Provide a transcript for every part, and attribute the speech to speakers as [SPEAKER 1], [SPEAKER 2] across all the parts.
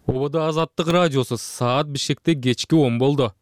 [SPEAKER 1] Ободо Азаттык радиосу саат Бишкекте кечки 10 болду.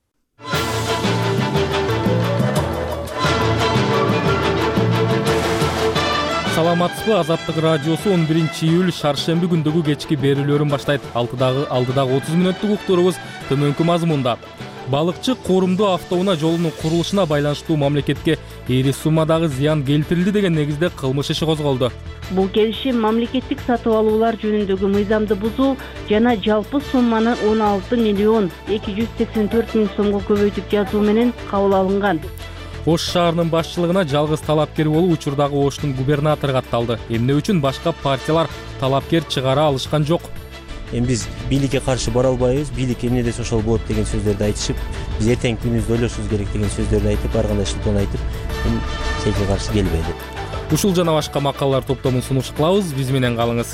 [SPEAKER 1] Саламатсызбы, Азаттык радиосу 11-июль шаршемби күндөгү кечки берүүлөрүн баштайт. Алдыдагы 30 мүнөттүк уктурубуз төмөнкү мазмунда. Балыкчы корумдуу автоунаа жолунун курулушуна байланыштуу мамлекетке эри суммадагы зыян келтирилди деген негизде кылмыш иши козголду.
[SPEAKER 2] Бул келишим мамлекеттик сатып алуулар жөнүндөгү мыйзамды бузуу жана жалпы сумманы 16 миллион 284 миң сомго көбөйтүп жазуу менен кабыл алынган.
[SPEAKER 1] Ош шаарынын башчылыгына жалгыз талапкер болуп учурдагы Оштун губернатору катталды. Эмне үчүн башка партиялар талапкер чыгара алышкан жок?
[SPEAKER 3] Эми биз бийликке каршы бара албайбыз, бийлик эмне десе ошол болот деген сөздөрдү айтышып, биз эртеңки күнүбүздү ойлошубуз керек деген сөздөрдү айтып, ар кандай шылтоон айтып, сенге каршы келбеди.
[SPEAKER 1] Ушул жана башка макалалар топтомун сунуш кылабыз, биз менен калыңыз.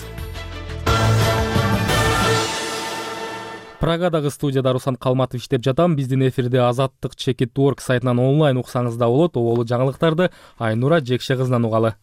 [SPEAKER 1] Прагадагы студияда Руслан Калматов иштеп жатам. Биздин эфирде Азаттык Чекит.org сайтынан онлайн уксаңыз да болот. Оболу жаңылыктарды Айнура Жекше кызынан угалы.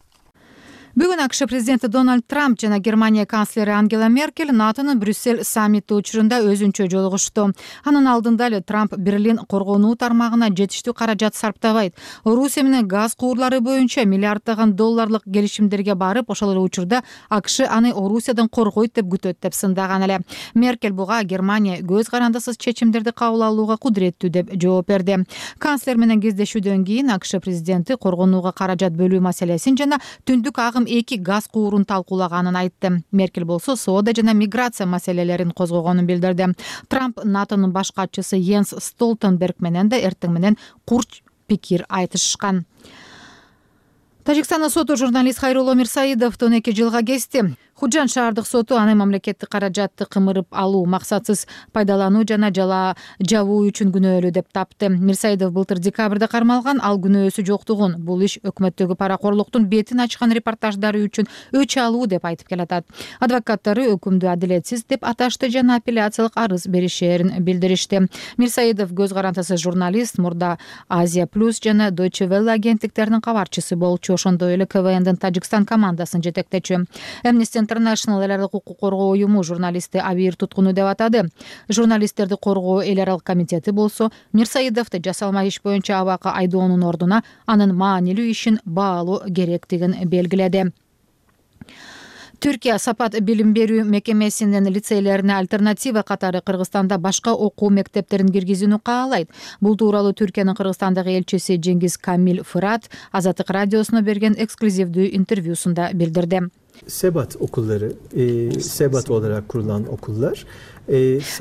[SPEAKER 4] Бүгүн АКШ президенти Дональд Трамп жана Германия канцлери Ангела Меркель НАТОнун Брюссель саммити учурунда өзүнчө жолугушту. Анын алдында эле Трамп Берлин коргонуу тармагына жетиштүү каражат сарптабайт. Орусия менен газ куурлары боюнча миллиарддаган долларлык келишимдерге барып, ошол эле учурда АКШ аны Орусиядан коргойт деп күтөт деп сындаган эле. Меркель буга Германия көз карандысыз чечимдерди кабыл алууга кудуреттүү деп жооп берди. Канцлер менен кездешүүдөн кийин АКШ президенти коргонууга каражат бөлүү маселесин жана түндүк агым 2 газ куурун талкуулаганын айтты. Меркель болсо соода жана миграция маселелерин козгогонун билдирди. Трамп НАТОнун баш катчысы Йенс Столтенберг менен да эртең менен курч пикир айтышкан. Тажикстандын соту журналист Хайрулло Мирсаидовду 2 жылга кести. Худжан шаардык соту аны мамлекеттик каражатты кымырып алуу, максатсыз пайдалануу жана жабуу үчүн күнөөлүү деп тапты. Мирсаидов былтыр декабрда кармалган, ал күнөөсү жоктугун, бул иш өкмөттөгү паракорлуктун бетин ачкан репортаждары үчүн өч алуу деп айтып келатат. Адвокаттары өкүмдү адилетсиз деп аташты жана апелляциялык арыз беришерин билдиришти. Мирсаидов көз карандысыз журналист, мурда Азия Плюс жана Deutsche Welle агенттиктеринин кабарчысы болчу, ошондой эле КВНдин Тажикстан командасын жетектечү. Amnesty International эл аралык укук коргоо уюму журналистти абийир туткуну деп атады. Журналисттерди коргоо эл аралык комитети болсо Мирсаидовду жасалма иш боюнча абакка айдоонун ордуна анын маанилүү ишин баалоо керектигин белгиледи. Түркия Сапат билим берүү мекемесинин лицейлерине альтернатива катары Кыргызстанда башка окуу мектептерин киргизүүнү каалайт. Бул тууралуу Түркиянын Кыргызстандагы элчиси Жеңгиз Камил Фырат Азаттык радиосуна берген эксклюзивдүү интервьюсунда билдирди.
[SPEAKER 5] Sebat okulları, Sebat olarak kurulan okullar.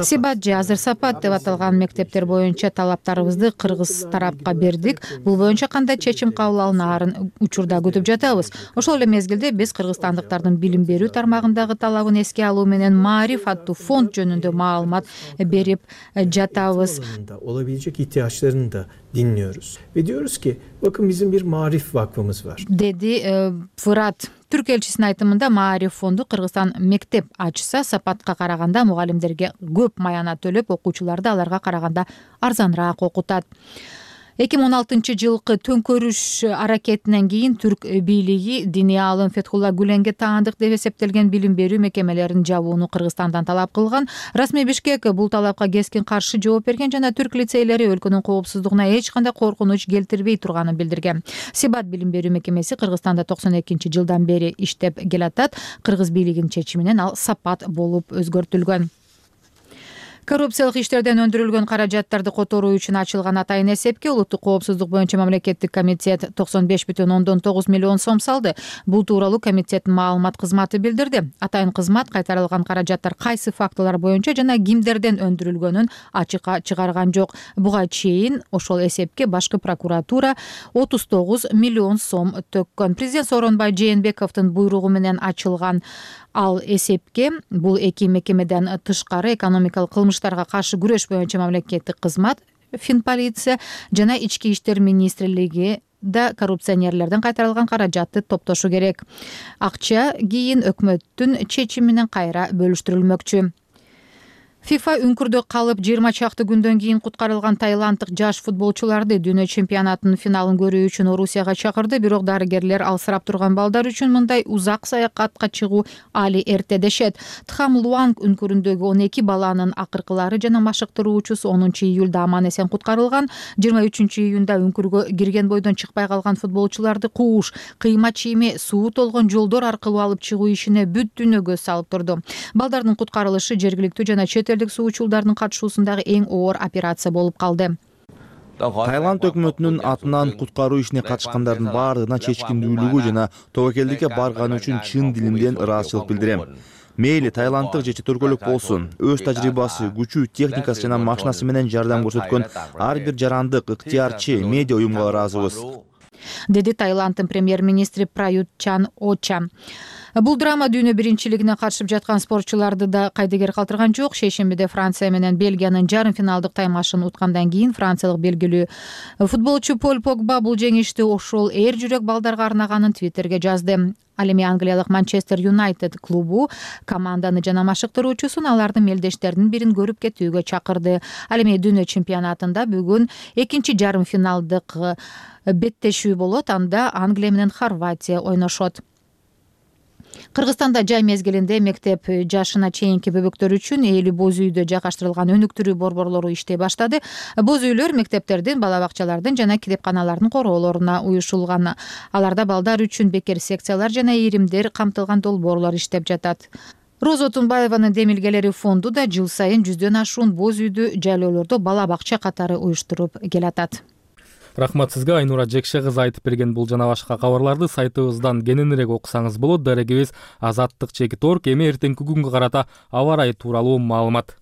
[SPEAKER 4] Сибат же азыр Сапат деп аталган мектептер боюнча талаптарыбызды кыргыз тарапка бердик. Бул боюнча кандай чечим кабыл алынаарын учурда күтүп жатабыз. Ошол эле мезгилде биз кыргызстандыктардын билим берүү тармагындагы талабын эске алуу менен Маариф аттуу фонд жөнүндө маалымат берип жатабыз.
[SPEAKER 5] Olabilecek ihtiyaçlarını da dinliyoruz. Ve diyoruz ki bakın bizim bir Maarif Vakfımız var.
[SPEAKER 4] Dedi Fırat. Түрк элчисинин айтымында Маариф фонду Кыргызстан мектеп ачса Сапатка караганда мугалимдерге көп маянат төлөп, окуучуларды аларга караганда арзаныраак окутат. 2016-жылкы төңкөрүш аракетинен кийин түрк бийлиги диний аалым Фетхулла Гүленге таандык деп эсептелген билим берүү мекемелерин жабууну Кыргызстандан талап кылган. Расмий Бишкек бул талапка кескин каршы жооп берген жана түрк лицейлери өлкөнүн коопсуздугуна эч кандай коркунуч келтирбей турганын билдирген. Сибат билим берүү мекемеси Кыргызстанда 92-жылдан бери иштеп келатат. Кыргыз бийлигинин чечиминен ал Сапат болуп өзгөртүлгөн. Коррупциялык иштерден өндүрүлгөн каражаттарды которуу үчүн ачылган атайын эсепке улуттук коопсуздук боюнча мамлекеттик комитет 95,9 миллион сом салды. Бул тууралуу комитеттин маалымат кызматы билдирди. Атайын кызмат кайтарылган каражаттар кайсы фактылар боюнча жана кимдерден өндүрүлгөнүн ачыкка чыгарган жок. Буга чейин ошол эсепке башкы прокуратура 39 миллион сом төккөн. Президент Сооронбай Жээнбековдун буйругу менен ачылган ал эсепке бул эки мекемеден тышкары экономикалык кылмыштарга каршы күрөш боюнча мамлекеттик кызмат, Финполиция жана Ички иштер министрлиги да коррупционерлерден кайтарылган каражатты топтошу керек. Акча кийин өкмөттүн чечими менен кайра бөлүштүрүлмөкчү. ФИФА үңкүрдө калып 20 чакты күндөн кийин куткарылган таиланддык жаш футболчуларды дүйнө чемпионатынын финалын көрүү үчүн Орусияга чакырды. Бирок дарыгерлер алсырап турган балдар үчүн мындай узак саякатка чыгуу али эрте дешет. Тхам Луанг үңкүрүндөгү 12 баланын акыркылары жана машыктыруучусу 10-июлда аман эсен куткарылган. 23-июнда үңкүргө кирген бойдон чыкпай калган футболчуларды кууш, кыйма чийме, суу толгон жолдор аркылуу алып чыгуу ишине бүт дүйнө көз салып турду. Балдардын куткарылышы жергиликтүү жана чет суучулдардын катышуусундагы эң оор операция болуп калды.
[SPEAKER 6] Таиланд өкмөтүнүн атынан куткаруу ишине катышкандардын баардыгына чечкиндүүлүгү жана тобокелдикке барганы үчүн чын дилимден ыраазычылык билдирем. Мейли таиланддык же чет өлкөлүк болсун, өз тажрыйбасы, күчү, техникасы жана машинасы менен жардам көрсөткөн ар бир жарандык, ыктыярчы, медиа уюмга ыраазыбыз,
[SPEAKER 4] деди Таиланддын премьер-министри Прают Чан-Оча. Бул драма дүйнө биринчилигине катышып жаткан спортчуларды да кайдыгер калтырган жок. Шейшембиде Франция менен Бельгиянын жарым финалдык таймашын уткандан кийин франциялык белгилүү футболчу Поль Погба бул жеңишти ошол эр жүрөк балдарга арнаганын Твиттерге жазды. Ал эми Англиялык Манчестер Юнайтед клубу команданы жана машыктыруучусун алардын мелдештеринин бирин көрүп кетүүгө чакырды. Ал эми дүйнө чемпионатында бүгүн экинчи жарым финалдык беттешүү болот. Анда Англия менен Хорватия ойношот. Кыргызстанда жай мезгилинде мектеп жашына чейинки бөбөктөр үчүн ээлүү боз үйдө жайгаштырылган өнүктүрүү борборлору иштей баштады. Боз үйлөр мектептердин, бала бакчалардын жана китепканалардын короолоруна уюшулган. Аларда балдар үчүн бекер секциялар жана иримдер камтылган долбоорлор иштеп жатат. Роза Отунбаеванын демилгелери фонду да жыл сайын 100дөн ашуун боз үйдү жайлоолордо бала бакча катары уюштуруп келатат.
[SPEAKER 1] Рахмат сизге, Айнура Жекше кызы айтып берген бул жана башка кабарларды сайтыбыздан кененирээк окусаңыз болот. Дарегибиз azаттык.org. Эми эртеңки күнгө карата аба ырайы тууралуу маалымат.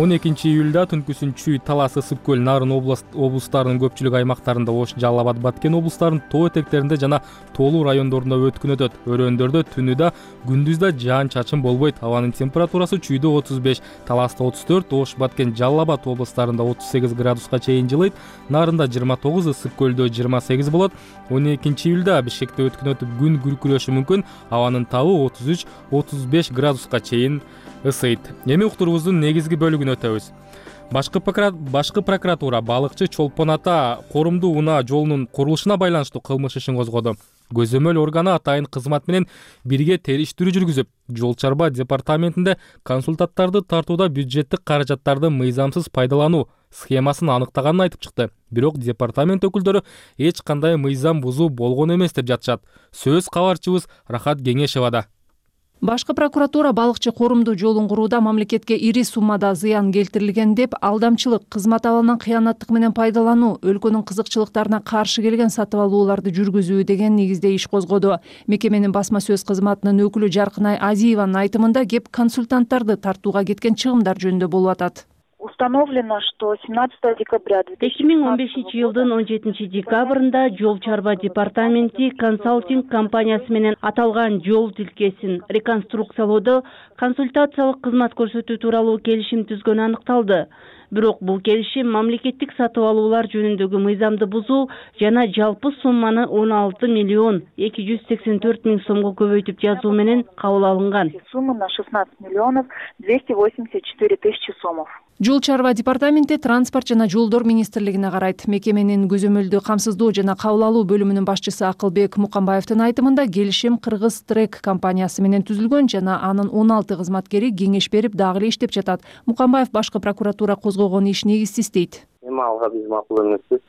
[SPEAKER 1] 12 июлда түнкүсүн Чүй, Талас, Ысык көл, Нарын облустарынын көпчүлүк аймактарында, Ош, Жалал Абад, Баткен облустарынын тоо этектеринде жана тоолуу райондорунда өткүн өтөт. Өрөөндөрдө түнү да, күндүз да жаан-чачын болбойт. Абанын температурасы Чүйдө 35, Таласта 34, Ош, Баткен, Жалал Абад облустарында 38 градуска чейин жылыйт. Нарында 29, Ысык көлдө 28 болот. 12 июлда Бишкекте өткүн өтүп күн күркүрөшү мүмкүн. Абанын табы 33-35 градуска чейин ысыйт. Эми уктурубуздун негизги бөлүгүнө өтөбүз. Башкы прокуратура балыкчы Чолпон Ата Корумду унаа жолунун курулушуна байланыштуу кылмыш ишин козгоду. Көзөмөл органы атайын кызмат менен бирге териштирүү жүргүзүп, жол чарба департаментинде консультанттарды тартууда бюджеттик каражаттарды мыйзамсыз пайдалануу схемасын аныктаганын айтып чыкты. Бирок департамент өкүлдөрү эч кандай мыйзам бузуу болгон эмес деп жатышат. Сөз кабарчыбыз Рахат Кеңешевада.
[SPEAKER 7] Башкы прокуратура балыкчы Корумду жолун курууда мамлекетке ири суммада зыян келтирилген деп алдамчылык, кызмат абалынан кыянаттык менен пайдалануу, өлкөнүн кызыкчылыктарына каршы келген сатып алууларды жүргүзүү деген негизде иш козгоду. Мекеменин басма сөз кызматынын өкүлү Жаркынай Азиеванын айтымында кеп консультанттарды тартууга кеткен чыгымдар жөнүндө болуп атат.
[SPEAKER 8] Установлено, что 17 декабря
[SPEAKER 2] 2015 жылдын 17 декабрында жол чарба департаменти консалтинг компаниясы менен аталган жол тилкесин реконструкциялоодо консультациялык кызмат көрсөтүү тууралуу келишим түзгөнү аныкталды. Бирок бул келишим мамлекеттик сатып алуулар жөнүндөгү мыйзамды бузуу жана жалпы сумманы 16 миллион 284 миң сомго көбөйтүп жазуу менен кабыл алынган.
[SPEAKER 8] Сумма на 16 миллионов 284 тысячи сомов.
[SPEAKER 7] Жол чарба департаменти транспорт жана жолдор министрлигине карайт. Мекеменин көзөмөлдү камсыздоо жана кабыл алуу бөлүмүнүн башчысы Акылбек Мукамбаевдин айтымында келишим Кыргыз Трек компаниясы менен түзүлгөн жана анын 16 кызматкери кеңеш берип дагы эле иштеп жатат. Мукамбаев башкы прокуратура козгогон иш негизсиз дейт.
[SPEAKER 9] Эми алга биз макул эмеспиз.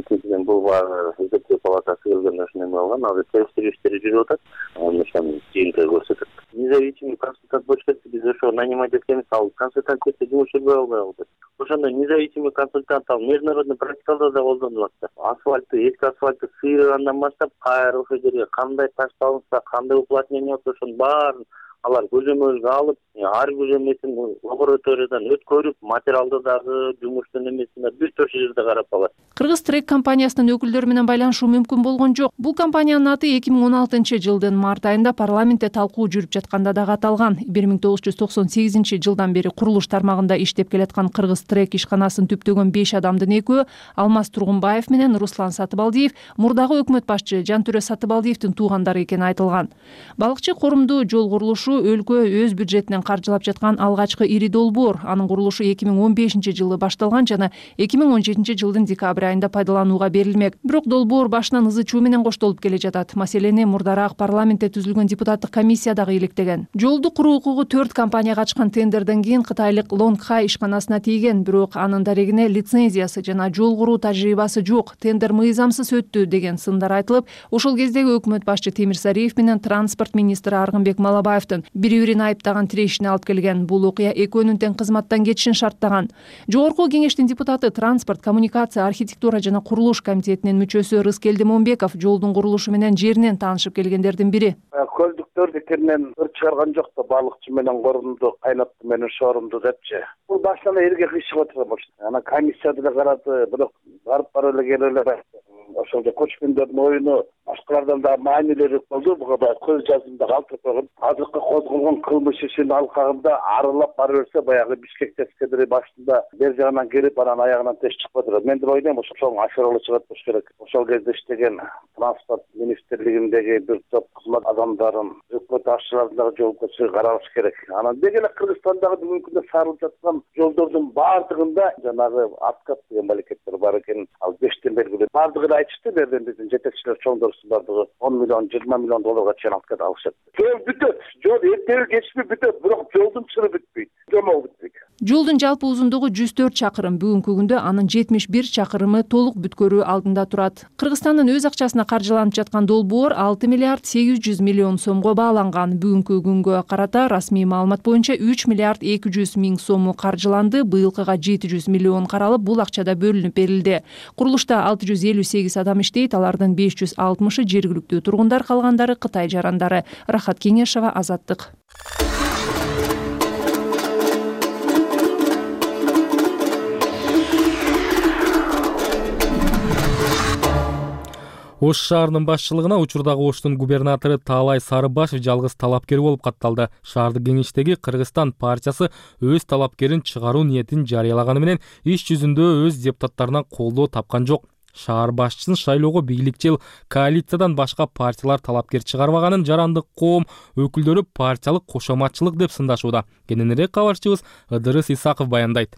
[SPEAKER 9] Экинчиден бул баары эсептөө палатасы келгенде ошону эме алган. Азыр териштирүү иштери жүрүп атат. Ошону жыйынтыгы көрсөтөт. Независимый консультант болуш керек. Биз ошо нанимать эткенбиз. Ал консультант кетсе жумуш жүрбөй албай калды. Ошондой независимый консультант ал международный практикаларда да колдонулат. Асфальтты, эски асфальтты сыйрыгандан баштап кайра ошол жерге кандай таш салынса, кандай уплотнение болсо ошонун баарын алар көзөмөлгө алып, ар көзөмөлүн лабораториядан өткөрүп, материалды дагы жумуштун эмесине бүт ошол жерде карап алат.
[SPEAKER 7] Кыргыз Трек компаниясынын өкүлдөрү менен байланышуу мүмкүн болгон жок. Бул компаниянын аты 2016 жылдын март айында парламентте талкуу жүрүп жатканда дагы аталган. 1998 жылдан бери курулуш тармагында иштеп келаткан Кыргыз Трек ишканасын түптөгөн 5 адамдын экөө Алмаз Тургунбаев менен Руслан Сатыбалдиев мурдагы өкмөт башчы Жантүрө Сатыбалдиевдин туугандары экени айтылган. Балыкчы Корумду жол курулушу курулушу өлкө өз бюджетинен каржылап жаткан алгачкы ири долбоор. Анын курулушу 2015-жылы башталган жана 2017-жылдын декабрь айында пайдаланууга берилмек. Бирок долбоор башынан ызы чуу менен коштолуп келе жатат. Маселени мурдараак парламентте түзүлгөн депутаттык комиссия дагы иликтеген. Жолду куруу укугу 4 компанияга ачкан тендерден кийин кытайлык Лонгхай ишканасына тийген, бирок анын дарегине лицензиясы жана жол куруу тажрыйбасы жок, тендер мыйзамсыз өттү деген сындар айтылып, ошол кездеги өкмөт башчы Темирсариев менен транспорт министри Аргынбек Малабаевдин бири-бирин айыптаган тирешине алып келген. Бул окуя экөөнүн тең кызматтан кетишин шарттаган. Жогорку кеңештин депутаты, транспорт, коммуникация, архитектура жана курулуш комитетинин мүчөсү Рыскелди Момбеков жолдун курулушу менен жеринен таанышып келгендердин бири.
[SPEAKER 10] Көлдүктөр бекеринен чыгарган жок да, балыкчы менен корумду, кайнатты менен шорумду депчи. Бул башынан элге кыйшык отурган. Ана комиссияда да карады, бирок барып эле келе эле ошол көчкүндөрдүн оюну башкалардан да маанилери болду. Буга баягы көз жазымда калтырып койгон. Азыркы козголгон кылмыш ишинин алкагында арылап бара берсе, баягы Бишкек тескедери башында бер жагынан келип, анан аягынан теш чыкпады. Мен деп ойлойм, ошол ашырылы чыгат болуш керек. Ошол кезде иштеген транспорт министрлигиндеги бир топ кызмат адамдарын өкмөт башчыларын дагы жоопкерчиликке каралыш керек. Анан деги эле Кыргызстандагы бүгүнкү күндө сарылып жаткан жолдордун баардыгында жанагы откат деген малекеттер бар экен. Ал 5тен белгилүү. Баардыгын айтышты, берден биздин жетекчилер чоңдорусу баардыгы 10 миллион, 20 миллион долларга чейин откат алышат. Жол бүтөт. Жол эртеби кечпи бүтөт, бирок жолдун чыры бүтпөйт. Жомол бүтпөйт.
[SPEAKER 7] Жолдун жалпы узундугу 104 чакырым. Бүгүнкү күндө анын 71 чакырымы толук бүткөрүү алдында турат. Кыргызстандын өз акчасына каржыланып жаткан долбоор 6 миллиард 800 миллион сомго бааланган. Бүгүнкү күнгө карата расмий маалымат боюнча 3 миллиард 200 миң сому каржыланды. Быйылкыга 700 миллион каралып, бул акчада бөлүнүп берилди. Курулушта 658 адам иштейт, алардын 560-ы жергиликтүү тургундар, калгандары Кытай жарандары. Рахат Кеңешова, Азаттык.
[SPEAKER 1] Ош шаарынын башчылыгына учурдагы Оштун губернатору Таалай Сарыбашев жалгыз талапкер болуп катталды. Шаардык кеңештеги Кыргызстан партиясы өз талапкерин чыгаруу ниетин жарыялаганы менен иш жүзүндө өз депутаттарынан колдоо тапкан жок. Шаар башчысын шайлоого бийликчил коалициядан башка партиялар талапкер чыгарбаганын Жарандык коом өкүлдөрү партиялык кошоматчылык деп сындашууда. Кененирээк кабарчыбыз Ыдырыс Исаков баяндайт.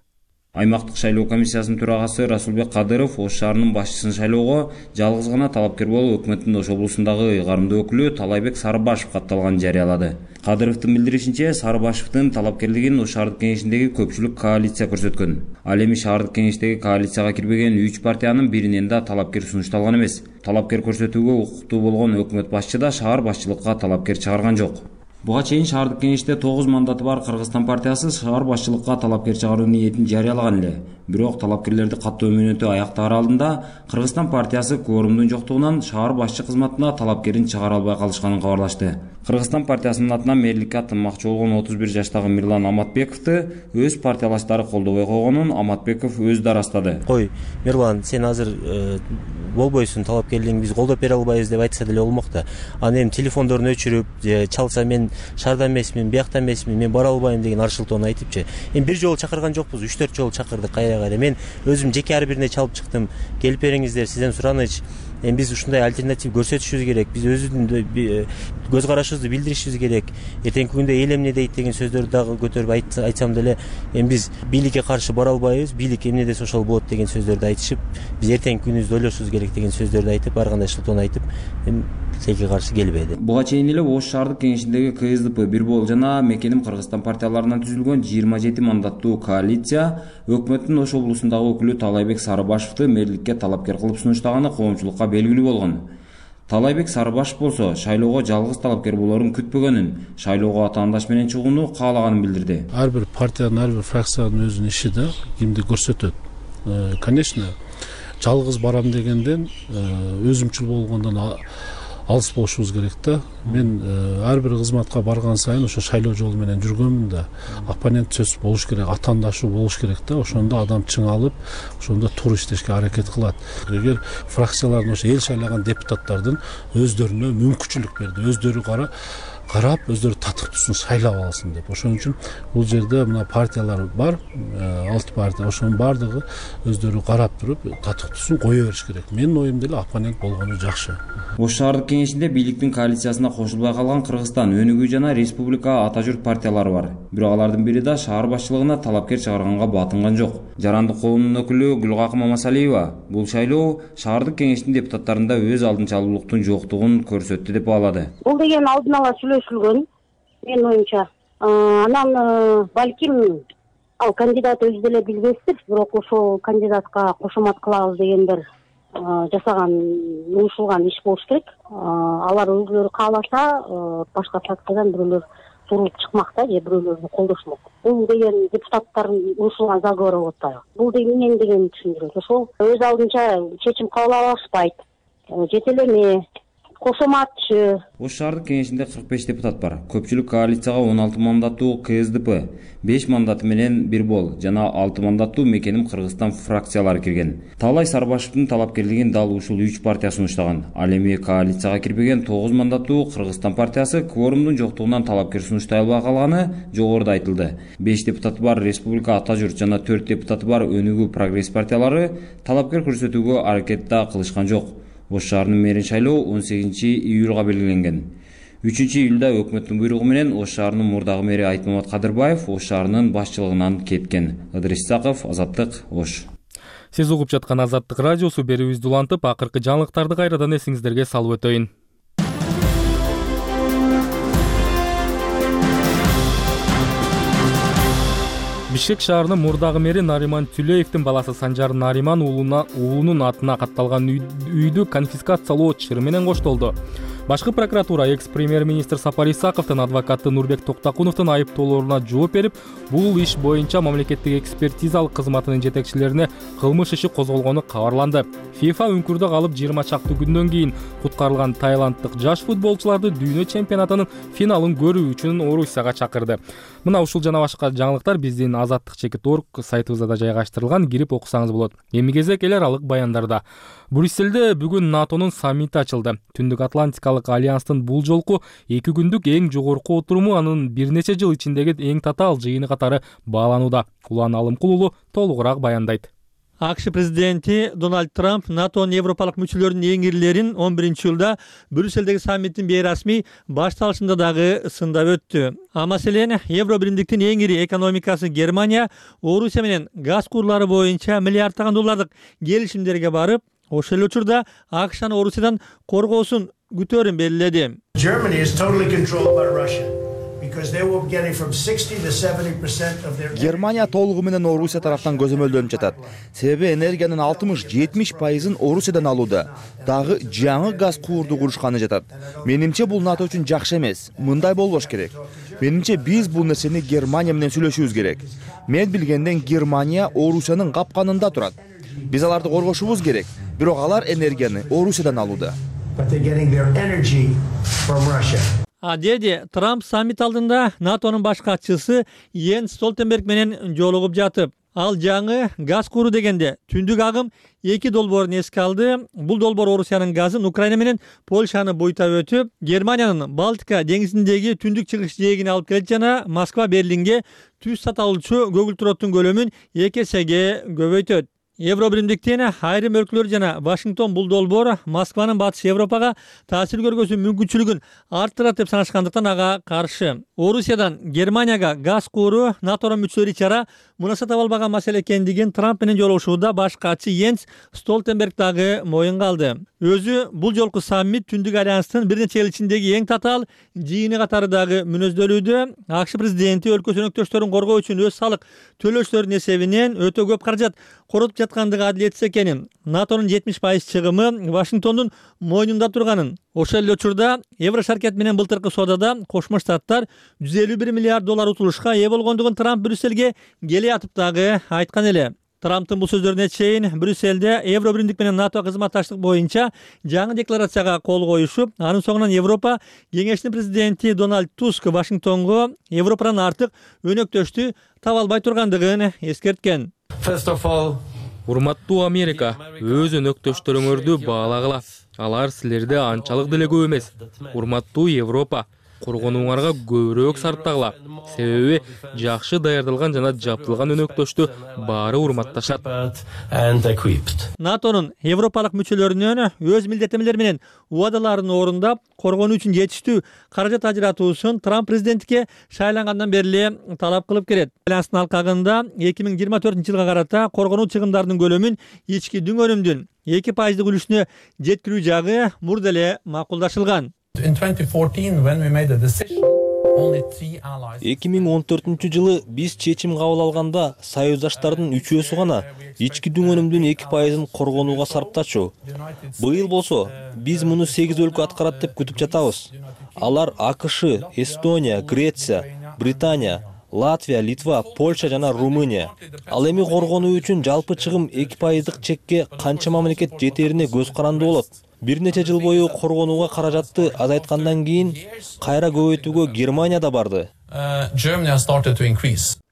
[SPEAKER 11] Аймактык шайлоо комиссиясынын төрагасы Расулбек Кадыров Ош шаарынын башчысын шайлоого жалгыз гана талапкер болуп өкмөттүн Ош облусундагы ыйгарымдуу өкүлү Талайбек Сарыбашев катталганын жарыялады. Кадыровдун билдиришинче, Сарыбашевдин талапкерлигин Ош шаардык кеңешиндеги көпчүлүк коалиция көрсөткөн. Ал эми шаардык кеңештеги коалицияга кирбеген 3 партиянын биринен да талапкер сунушталган эмес. Талапкер көрсөтүүгө укуктуу болгон өкмөт башчы да шаар башчылыкка талапкер чыгарган жок. Буга чейин шаардык кеңеште 9 мандаты бар Кыргызстан партиясы шаар башчылыкка талапкер чыгаруу ниетин жарыялаган эле. Бирок талапкерлерди каттоо мөөнөтү аяктаар алдында Кыргызстан партиясы кворумдун жоктугунан шаар башчы кызматына талапкерин чыгара албай калышканын кабарлашты. Кыргызстан партиясынын атынан мэрликке аттанмакчы болгон 31 жаштагы Мирлан Аматбековду өз партиялаштары колдобой койгонун Аматбеков өзү да ырастады.
[SPEAKER 3] Кой, Мирлан, сен азыр болбойсуң, талапкерлигиңди биз колдоп бере албайбыз деп айтса деле болмок да. Аны эми телефондорун өчүрүп, чалса мен шаарда эмесмин, биякта эмесмин, мен бара албайм деген аршылтоону айтыпчы. Эми бир жолу чакырган жокпуз, 3-4 жолу чакырдык кайра. Мен өзүм жеке ар бирине чалып чыктым. Келип бериңиздер, сизден сураныч. Эми биз ушундай альтернатив көрсөтүшүбүз керек. Биз өзүбүздүн көз карашыбызды билдиришибиз керек. Эртеңки күндө эл эмне дейт деген сөздөрдү дагы көтөрүп айтсам деле, эми биз бийликке каршы бара албайбыз. Бийлик эмне десе ошол болот деген сөздөрдү айтышып, биз эртеңки күнүбүздү ойлошубуз керек деген сөздөрдү айтып, ар кандай шылтоону айтып, эми тилекке каршы келбеди.
[SPEAKER 11] Буга чейин эле Ош шаардык кеңешиндеги КСДП, Бирбол жана Мекеним Кыргызстан партияларынан түзүлгөн 27 мандаттуу коалиция өкмөттүн Ош облусундагы өкүлү Талайбек Сарыбашевди мэрликке талапкер кылып сунуштаганы коомчулукка белгилүү болгон. Талайбек Сарыбашев болсо шайлоого жалгыз талапкер болорун күтпөгөнүн, шайлоого атаандаш менен чыгууну каалаганын билдирди.
[SPEAKER 12] Ар бир партиянын, ар бир фракциянын өзүнүн иши да кимди көрсөтөт. Конечно, жалгыз барам дегенден өзүмчүл болгондон алыс болушубуз керек да. Мен ар бир кызматка барган сайын ошо шайлоо жолу менен жүргөнмүн да. Оппонент сөз болуш керек, атаандашуу болуш керек да. Ошондо адам чыңалып, ошондо туура иштешке аракет кылат. Эгер фракциялардын ошо эл шайлаган депутаттардын өздөрүнө мүмкүнчүлүк берди, өздөрү карап, өздөрү татыктуусун шайлап алсын деп. Ошон үчүн бул жерде мына партиялар бар, 6 партия, ошонун баардыгы өздөрү карап туруп татыктуусун кое бериш керек. Менин оюм деле оппонент болгону жакшы.
[SPEAKER 11] Ош шаардык кеңешинде бийликтин коалициясына кошулбай калган Кыргызстан өнүгүү жана Республика Ата Журт партиялары бар. Бирок алардын бири да шаар башчылыгына талапкер чыгарганга батынган жок. Жарандык коомдун өкүлү Гүлгакы Мамасалиева бул шайлоо шаардык кеңештин депутаттарында өз алдынчалуулуктун жоктугун көрсөттү деп баалады.
[SPEAKER 13] Бул деген алдын ала сүйлөшүлгөн, менин оюмча. Анан балким ал кандидат өзү деле билбестир, бирок ошол кандидатка кошомат кылабыз деген бир жасаган, уюшулган иш болуш керек. Алар өзүлөрү кааласа, башка фракциядан бирөөлөр туруп чыкмакта же бирөөлөрдү колдошмок. Бул деген депутаттардын уюшулган заговору болот да. Бул эмне деген түшүндүрөт. Ошол өз алдынча чечим кабыл алышпайт. Жетелеме, кошоматчы.
[SPEAKER 11] Ош шаардык кеңешинде 45 депутат бар. Көпчүлүк коалицияга 16 мандаттуу КСДП, 5 мандаты менен Бир Бол жана 6 мандаттуу Мекеним Кыргызстан фракциялары кирген. Таалай Сарбашевдин талапкерлигин дал ушул 3 партия сунуштаган. Ал эми коалицияга кирбеген 9 мандаттуу Кыргызстан партиясы кворумдун жоктугунан талапкер сунуштай албай калганы жогоруда айтылды. 5 депутаты бар Республика Ата Журт жана 4 депутаты бар Өнүгүү Прогресс партиялары талапкер көрсөтүүгө аракет да кылышкан жок. Ош шаарынын мэрин шайлоо 18-июлга белгиленген. 3-июлда өкмөттүн буйругу менен Ош шаарынын мурдагы мэри Айтмамат Кадырбаев Ош шаарынын башчылыгынан кеткен. Ыдырыс Исаков, Азаттык, Ош.
[SPEAKER 1] Сиз угуп жаткан Азаттык радиосу. Берүүбүздү улантып, акыркы жаңылыктарды кайрадан эсиңиздерге салып өтөйүн. Бишкек шаарынын мурдагы мэри Нариман Түлеевдин баласы Санжар Нариман уулунун атына катталган үйдү конфискациялоо чыры менен коштолду. Башкы прокуратура экс-премьер-министр Сапар Исаковдун адвокаты Нурбек Токтакуновдун айыптоолоруна жооп берип, бул иш боюнча мамлекеттик экспертизалык кызматынын жетекчилерине кылмыш иши козголгону кабарланды. ФИФА үңкүрдө калып 20 чакты күндөн кийин куткарылган тайланддык жаш футболчуларды дүйнө чемпионатынын финалын көрүү үчүн Орусияга чакырды. Мына ушул жана башка жаңылыктар биздин azattik.org сайтыбызда жайгаштырылган, кирип окусаңыз болот. Эми кезек эл аралык баяндарда. Брюссельде бүгүн НАТОнун саммити ачылды. Түндүк Атлантикалык альянстын бул жолку 2 күндүк эң жогорку отуруму анын бир нече жыл ичиндеги эң татаал жыйыны катары бааланууда. Улан Алымкулулу толугураак баяндайт.
[SPEAKER 14] АКШ президенти Дональд Трамп НАТОнун европалык мүчөлөрүнүн эң ирлерин 11-жылда Брюссельдеги саммиттин бейрасмий башталышында дагы сындап өттү. Маселен, Евро биримдиктин эң ири экономикасы Германия Орусия менен газ курлары боюнча миллиарддаган доллардык келишимдерге барып, ошол эле учурда АКШны Орусиядан коргоосун күтөөрүн белгиледи.
[SPEAKER 6] Германия толугу менен Орусия тараптан көзөмөлдөнүп жатат. Себеби энергиянын 60-70% Орусиядан алууда. Дагы жаңы газ куурду курушканы жатат. Менимче бул НАТО үчүн жакшы эмес. Мындай болбош керек. Менимче биз бул нерсени Германия менен сүйлөшүбүз керек. Мен билгенден Германия Орусиянын капканында турат. Биз аларды коргошубуз керек. Бирок алар энергияны Орусиядан алууда.
[SPEAKER 14] Деди Трамп саммит алдында НАТОнун баш катчысы Йенс Столтенберг менен жолугуп жатып, ал жаңы газ куру дегенде түндүк агым 2 долбоорун эске алды. Бул долбоор Орусиянын газын Украина менен Польшаны буйтап өтүп, Германиянын Балтика деңизиндеги түндүк чыгыш жээгине алып келет жана Москва Берлинге түз саталуучу көгүлтүрөттүн көлөмүн 2 эсеге көбөйтөт. Евро биримдиктин айрым өлкөлөр жана Вашингтон бул долбоор Москванын батыш Европага таасир көргөзүү мүмкүнчүлүгүн арттырат деп санашкандыктан ага каршы. Орусиядан Германияга газ кууру НАТОнун мүчөлөрү ичара мунаса таба албаган маселе экендигин Трамп менен жолугушууда баш катчы Йенс Столтенберг дагы моюнга алды. Өзү бул жолку саммит Түндүк альянстын бир нече эл ичиндеги эң татаал жыйыны катары дагы мүнөздөлүүдө. АКШ президенти өлкөсүнүн өнөктөштөрүн коргоо үчүн өз салык төлөөчүлөрүнүн эсебинен өтө көп каражат коротуп жаткандыгы адилетсиз экенин, НАТОнун 70% чыгымы Вашингтондун мойнунда турганын, ошол эле учурда Евро шаркет менен былтыркы соодада Кошмо Штаттар 151 миллиард доллар утулушка ээ болгондугун Трамп Брюссельге келе атып дагы айткан эле. Трамптын бул сөздөрүнө чейин Брюссельде Евро биримдик менен НАТО кызматташтык боюнча жаңы декларацияга кол коюшуп, анын соңунан Европа кеңешинин президенти Дональд Туск Вашингтонго Европадан артык өнөктөштү таба албай тургандыгын эскерткен.
[SPEAKER 1] Урматтуу Америка, өз өнөктөштөрүңөрдү баалагыла. Алар силерде анчалык деле көп эмес. Урматтуу Европа, коргонууңарга көбүрөөк сарптагыла. Себеби жакшы даярдалган жана жабдылган өнөктөштү баары урматташат.
[SPEAKER 14] НАТОнун европалык мүчөлөрүнөн өз милдеттенмелери менен убадаларын орундап, коргонуу үчүн жетиштүү каражат ажыратуусун Трамп президенттикке шайлангандан бери эле талап кылып келет. Байланыстын алкагында 2024-жылга карата коргонуу чыгымдарынын көлөмүн ички дүң өнүмдүн 2% үлүшүнө жеткирүү жагы мурда эле макулдашылган.
[SPEAKER 15] 2014-жылы биз чечим кабыл алганда союздаштардын 3/4 гана ички дүң өнүмдүн 2%-ын коргонууга сарптачу. Быйыл болсо биз муну 8 өлкө аткарат деп күтүп жатабыз. Алар АКШ, Эстония, Греция, Британия, Латвия, Литва, Польша жана Румыния. Ал эми коргонуу үчүн жалпы чыгым 2%-дык чекке канча мамлекет жетерине көз каранды болот. Бир нече жыл бою коргонууга каражатты азайткандан кийин кайра көбөйтүүгө Германия да барды.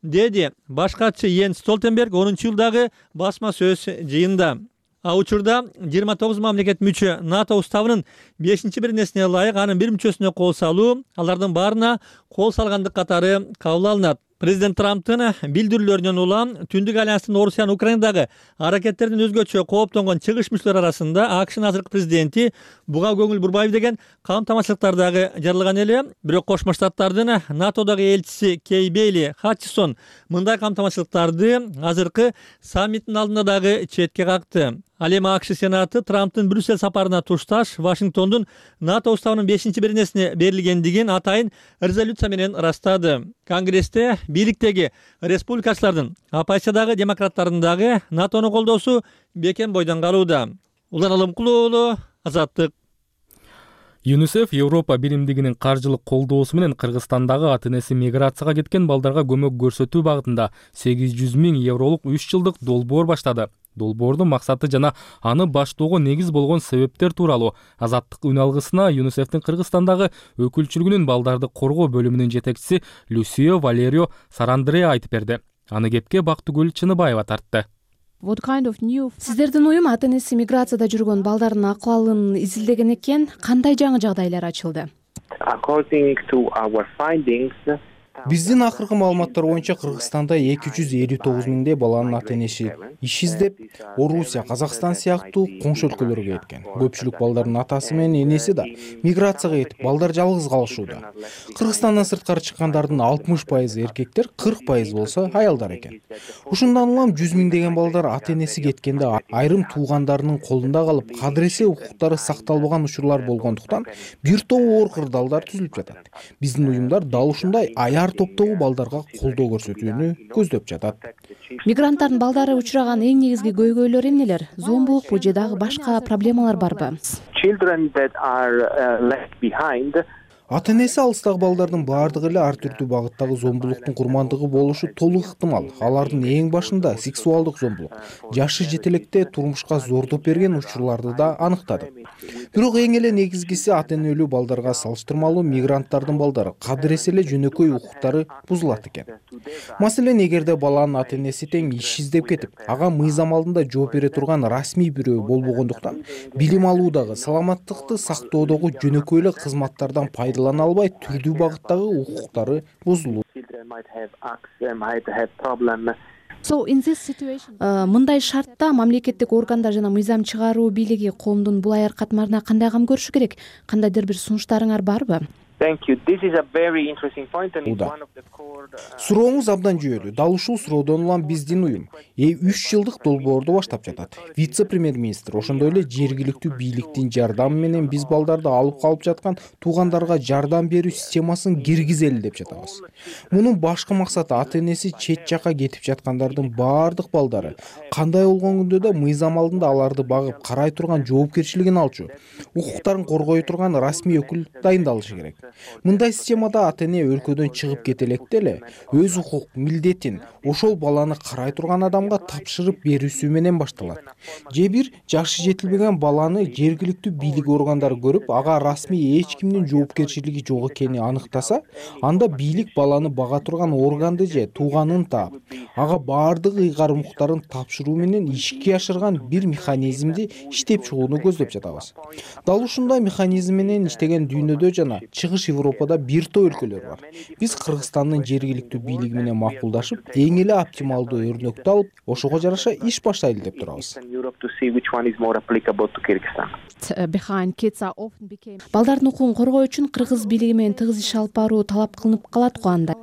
[SPEAKER 14] Деди баш катчы Йенс Столтенберг 10-жылдагы басма сөз жыйында. Учурда 29 мамлекет мүчө НАТО уставынын 5-биринесине ылайык анын бир мүчөсүнө кол салуу, алардын баарына кол салгандык катары кабыл алынат. Президент Трамптын билдирүүлөрүнөн улам Түндүк альянстын Орусиянын Украинадагы аракеттердин өзгөчө кооптонгон чыгыш мүчөлөр арасында АКШнын азыркы президенти буга көңүл бурбайбы деген камтамашылыктар дагы жарылган эле. Бирок Кошмо Штаттардын НАТОдогу элчиси Кей Бейли Хатчисон мындай камтамашылыктарды азыркы саммиттин алдында дагы четке какты. Ал эми АКШ Сенаты Трамптын Брюссель сапарына тушташ Вашингтондун НАТО уставынын 5-биринесине берилгендигин атайын резолюция менен ырастады. Конгрессте бийликтеги республикачылардын, оппозициядагы демократтардын дагы НАТОну колдоосу бекем бойдон калууда. Улан Алымкулуу уулу, Азаттык.
[SPEAKER 1] ЮНИСЕФ Европа биримдигинин каржылык колдоосу менен Кыргызстандагы ата-энеси миграцияга кеткен балдарга көмөк көрсөтүү багытында 800 000 евролук 3 жылдык долбоор баштады. Долбоордун максаты жана аны баштоого негиз болгон себептер тууралуу Азаттык үн алгысына ЮНИСЕФтин Кыргызстандагы өкүлчүлүгүнүн балдарды коргоо бөлүмүнүн жетекчиси Люсио Валерио Сарандреа айтып берди. Аны кепке Бактыгүл Чыныбаева тартты.
[SPEAKER 16] Сиздердин уюм ата-энеси миграцияда жүргөн балдардын акыбалын изилдеген экен, кандай жаңы жагдайлар ачылды?
[SPEAKER 17] Биздин акыркы маалыматтар боюнча Кыргызстанда 259 миңдей баланын ата-энеси иш издеп, Орусия, Казакстан сыяктуу коңшу өлкөлөргө кеткен. Көпчүлүк балдардын атасы менен энеси да миграцияга кетип, балдар жалгыз калышууда. Кыргызстандан сырткары чыккандардын 60% эркектер, 40% болсо аялдар экен. Ушундан улам 100 миңдеген балдар ата-энеси кеткенде айрым туугандарынын колунда калып, кадыресе укуктары сакталбаган учурлар болгондуктан бир топ оор кырдаалдар түзүлүп жатат. Биздин уюмдар дал ушундай аяр топтогу балдарга колдоо көрсөтүүнү көздөп жатат.
[SPEAKER 16] Мигранттардын балдары учураган эң негизги көйгөйлөр эмнелер? Зомбулукпу же дагы башка проблемалар барбы?
[SPEAKER 17] Ата-энеси алыстагы балдардын баардыгы эле ар түрдүү багыттагы зомбулуктун курмандыгы болушу толук ыктымал. Алардын эң башында сексуалдык зомбулук, жашы жетелекте турмушка зордоп берген учурларды да аныктадык. Бирок эң эле негизгиси ата-энелүү балдарга салыштырмалуу мигранттардын балдары кадыресе эле жөнөкөй укуктары бузулат экен. Маселен, эгерде баланын ата-энеси тең иш издеп кетип, ага мыйзам алдында жооп бере турган расмий бирөө болбогондуктан, билим алуудагы, саламаттыкты сактоодогу жөнөкөй эле кызматтардан пайдалана албай, түрдүү багыттагы укуктары бузулат.
[SPEAKER 16] Мындай шартта мамлекеттик органдар жана мыйзам чыгаруу бийлиги коомдун бул аяр катмарына кандай кам көрүшү керек? Кандайдыр бир сунуштарыңар барбы?
[SPEAKER 17] Сурооңуз абдан жүйөлүү. Дал ушул суроодон улам биздин уюм 3 жылдык долбоорду баштап жатат. Вице-премьер-министр, ошондой эле жергиликтүү бийликтин жардамы менен биз балдарды алып калып жаткан туугандарга жардам берүү системасын киргизели деп жатабыз. Мунун башкы максаты ата-энеси чет жакка кетип жаткандардын баардык балдары кандай болгон күндө да мыйзам алдында аларды багып карай турган жоопкерчилигин алчу, укуктарын коргой турган расмий өкүл дайындалышы керек. Мындай системада ата-эне өлкөдөн чыгып кете электе эле өз укук милдетин ошол баланы карай турган адамга тапшырып берүүсү менен башталат. Же бир жашы жетилбеген баланы жергиликтүү бийлик органдары көрүп, ага расмий эч кимдин жоопкерчилиги жок экенин аныктаса, анда бийлик баланы бага турган органды же тууганын таап, ага баардык ыйгарым укуктарын тапшыруу менен ишке ашырган бир механизмди иштеп чыгууну көздөп жатабыз. Дал ушундай механизм менен иштеген дүйнөдө жана чыгыш Чыгыш Европада бир топ өлкөлөр бар. Биз Кыргызстандын жергиликтүү бийлиги менен макулдашып, эң эле оптималдуу өрнөктү алып, ошого жараша иш баштайлы деп турабыз.
[SPEAKER 16] Балдардын укугун коргоо үчүн кыргыз бийлиги менен тыгыз иш алып баруу талап кылынып калат го анда.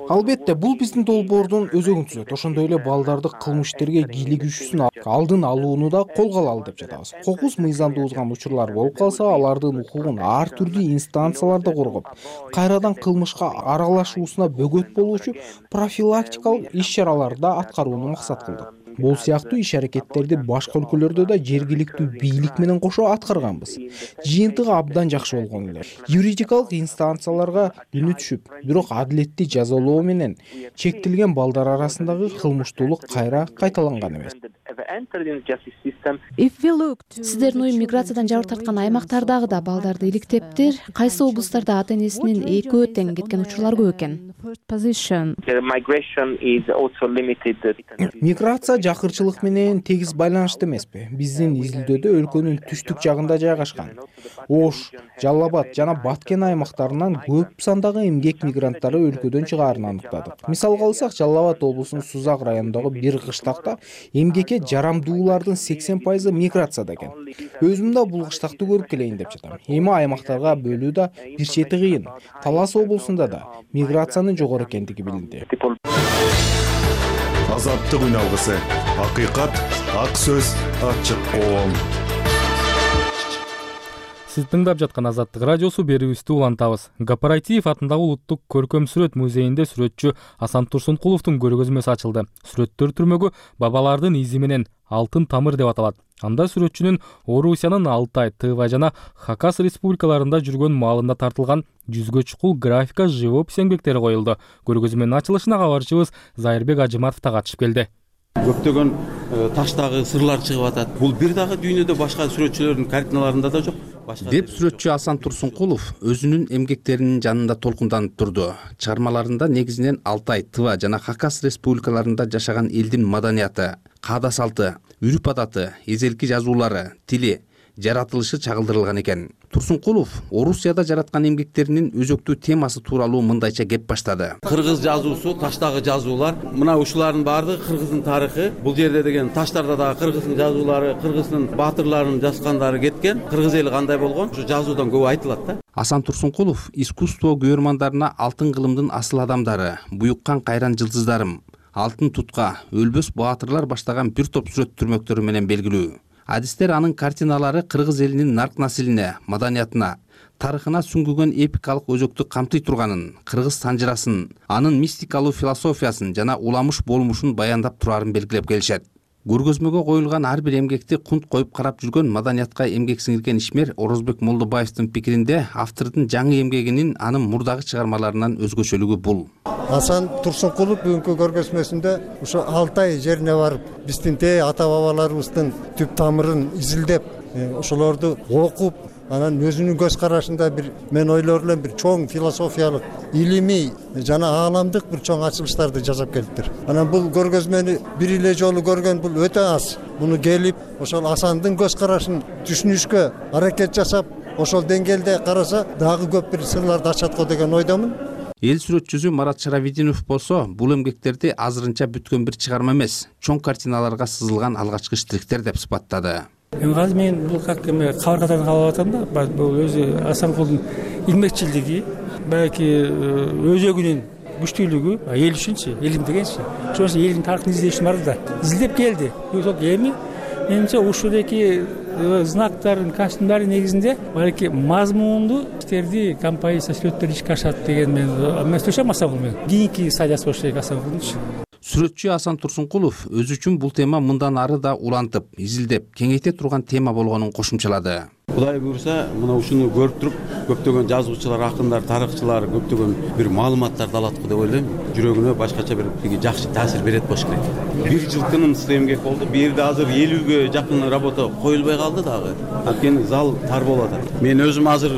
[SPEAKER 17] Албетте, бул биздин долбоордун өзөгүн түзөт. Ошондой эле балдарды кылмыш иштерге кийлигишүүсүн алдын алууну да колго алалы деп жатабыз. Кокус мыйзамды бузган учурлар болуп калса, алардын укугун ар түрдүү инстанцияларда коргоп, кайрадан кылмышка аралашуусуна бөгөт болуучу профилактикалык иш-чараларды да аткарууну максат кылдык. Бул сыяктуу иш-аракеттерди башка өлкөлөрдө да жергиликтүү бийлик менен кошо аткарганбыз. Жыйынтыгы абдан жакшы болгон эле. Юридикалык инстанцияларга үнү түшүп, бирок адилеттүү жазалоо менен чектелген балдар арасындагы кылмыштуулук кайра кайталанган эмес.
[SPEAKER 16] Сиздердин уюм миграциядан жабыр тарткан аймактардагы да балдарды иликтептир. Кайсы облустарда ата-энесинин экөө тең кеткен учурлар көп экен?
[SPEAKER 17] Миграция жакырчылык менен тегиз байланыштуу эмеспи? Биздин изилдөөдө өлкөнүн түштүк жагында жайгашкан Ош, Жалал Абад жана Баткен аймактарынан көп сандагы эмгек мигранттары өлкөдөн чыгаарын аныктадык. Мисалга алсак, Жалал Абад облусунун Сузак районундагы бир кыштакта эмгекке жарамдуулардын 80% миграцияда экен. Өзүм да бул кыштакты көрүп келейин деп жатам. Эми аймактарга бөлүү да бир чети кыйын. Талас облусунда да миграциянын жогору экендиги билинди.
[SPEAKER 18] Азаттык үналгысы. Акыйкат, ак сөз, ачык коом.
[SPEAKER 1] Сиз тыңдап жаткан Азаттык радиосу, берүүбүздү улантабыз. Гапарайтиев атындагы Улуттук көркөм сүрөт музейинде сүрөтчү Асан Турсункуловдун көргөзмөсү ачылды. Сүрөттөр түрмөгү бабалардын изи менен алтын тамыр деп аталат. Анда сүрөтчүнүн Орусиянын Алтай, Тыва жана Хакас республикаларында жүргөн маалында тартылган жүзгө чукул графика, живопись эмгектери коюлду. Көргөзмөнүн ачылышына кабарчыбыз Зайырбек Ажыматов да катышып келди.
[SPEAKER 19] Көптөгөн таштагы сырлар чыгып атат. Бул бир дагы дүйнөдө башка сүрөтчүлөрдүн картиналарында да жок.
[SPEAKER 20] Деп сүрөтчү Асан Турсункулов өзүнүн эмгектеринин жанында толкунданып турду. Чыгармаларында негизинен Алтай, Тыва жана Хакас республикаларында жашаган элдин маданияты, каада салты, үрүп адаты, эзелки жазуулары, тили, жаратылышы чагылдырылган экен. Турсункулов Орусияда жараткан эмгектеринин өзөктүү темасы тууралуу мындайча кеп баштады.
[SPEAKER 19] Кыргыз жазуусу, таштагы жазуулар, мына ушулардын баардыгы Кыргыздын тарыхы. Бул жерде деген таштарда дагы Кыргыздын жазуулары, Кыргыздын баатырларынын жазгандары кеткен. Кыргыз эли кандай болгон? Ушу жазуудан көп айтылат да.
[SPEAKER 20] Асан Турсункулов искусство көрөрмандарына алтын кылымдын асыл адамдары, буюккан кайран жылдыздарым, алтын тутка, өлбөс баатырлар баштаган бир топ сүрөт түрмөктөрү менен белгилүү. Адистер анын картиналары кыргыз элинин нарк насилине, маданиятына, тарыхына сүңгүгөн эпикалык өзөктү камтый турганын, кыргыз санжырасын, анын мистикалуу философиясын жана уламыш болмушун баяндап турарын белгилеп келишет. Көргөзмөгө коюлган ар бир эмгекти кунт коюп карап жүргөн маданиятка эмгек сиңирген ишмер Орозбек Молдобаевдин пикиринде автордун жаңы эмгегинин анын мурдагы чыгармаларынан өзгөчөлүгү бул.
[SPEAKER 21] Асан Турсункулов бүгүнкү көргөзмөсүндө ушу Алтай жерине барып, биздин ата бабаларыбыздын түп тамырын изилдеп, ошолорду окуп, анан өзүнүн көз карашында бир мен ойлорлойм бир чоң философиялык, илимий жана ааламдык бир чоң ачылыштарды жасап келиптир. Анан бул көргөзмөнү бир эле жолу көргөн бул өтө аз. Муну келип, ошол Асандын көз карашын түшүнүшкө аракет жасап, ошол деңгээлде караса дагы көп бир сырларды ачат го деген ойдомун.
[SPEAKER 20] Эл сүрөтчүсү Марат Шаравидинов болсо, бул эмгектерди азырынча бүткөн бир чыгарма эмес, чоң картиналарга сызылган алгачкы штриктер деп сыпаттады.
[SPEAKER 22] Азыр мен бул как кабыргадан кабыл атам да, бул өзү Асанкулдун эмгекчилиги, балки өзөгүнүн күчтүүлүгү, эл үчүнчү, элим дегенчи. Ошол элдин тарыхын издеш үчүн барды да. Издеп келди. Ошол эми менимче ушундагы знактардын, костюмдардын негизинде балки мазмундуу иштерди, композиция, сүрөттөрдү ишке ашат деген мен сөйлөшөм Асанкул менен. Кийинки стадиясы болуш керек Асанкулдунчу.
[SPEAKER 20] Сүрөтчү Асан Турсункулов өзү үчүн бул тема мындан ары да улантып, изилдеп, кеңейте турган тема болгонун кошумчалады.
[SPEAKER 19] Кудай буйрса, мына ушуну көрүп туруп, көптөгөн жазуучулар, акындар, тарыхчылар көптөгөн бир маалыматтарды алат го деп ойлойм. Жүрөгүнө башкача бир жакшы таасир берет болуш керек. Бир жылкынын эмгек болду. Бу жерде азыр 50ге жакын работа коюлбай калды дагы. Анткени зал тар болуп атат. Мен өзүм азыр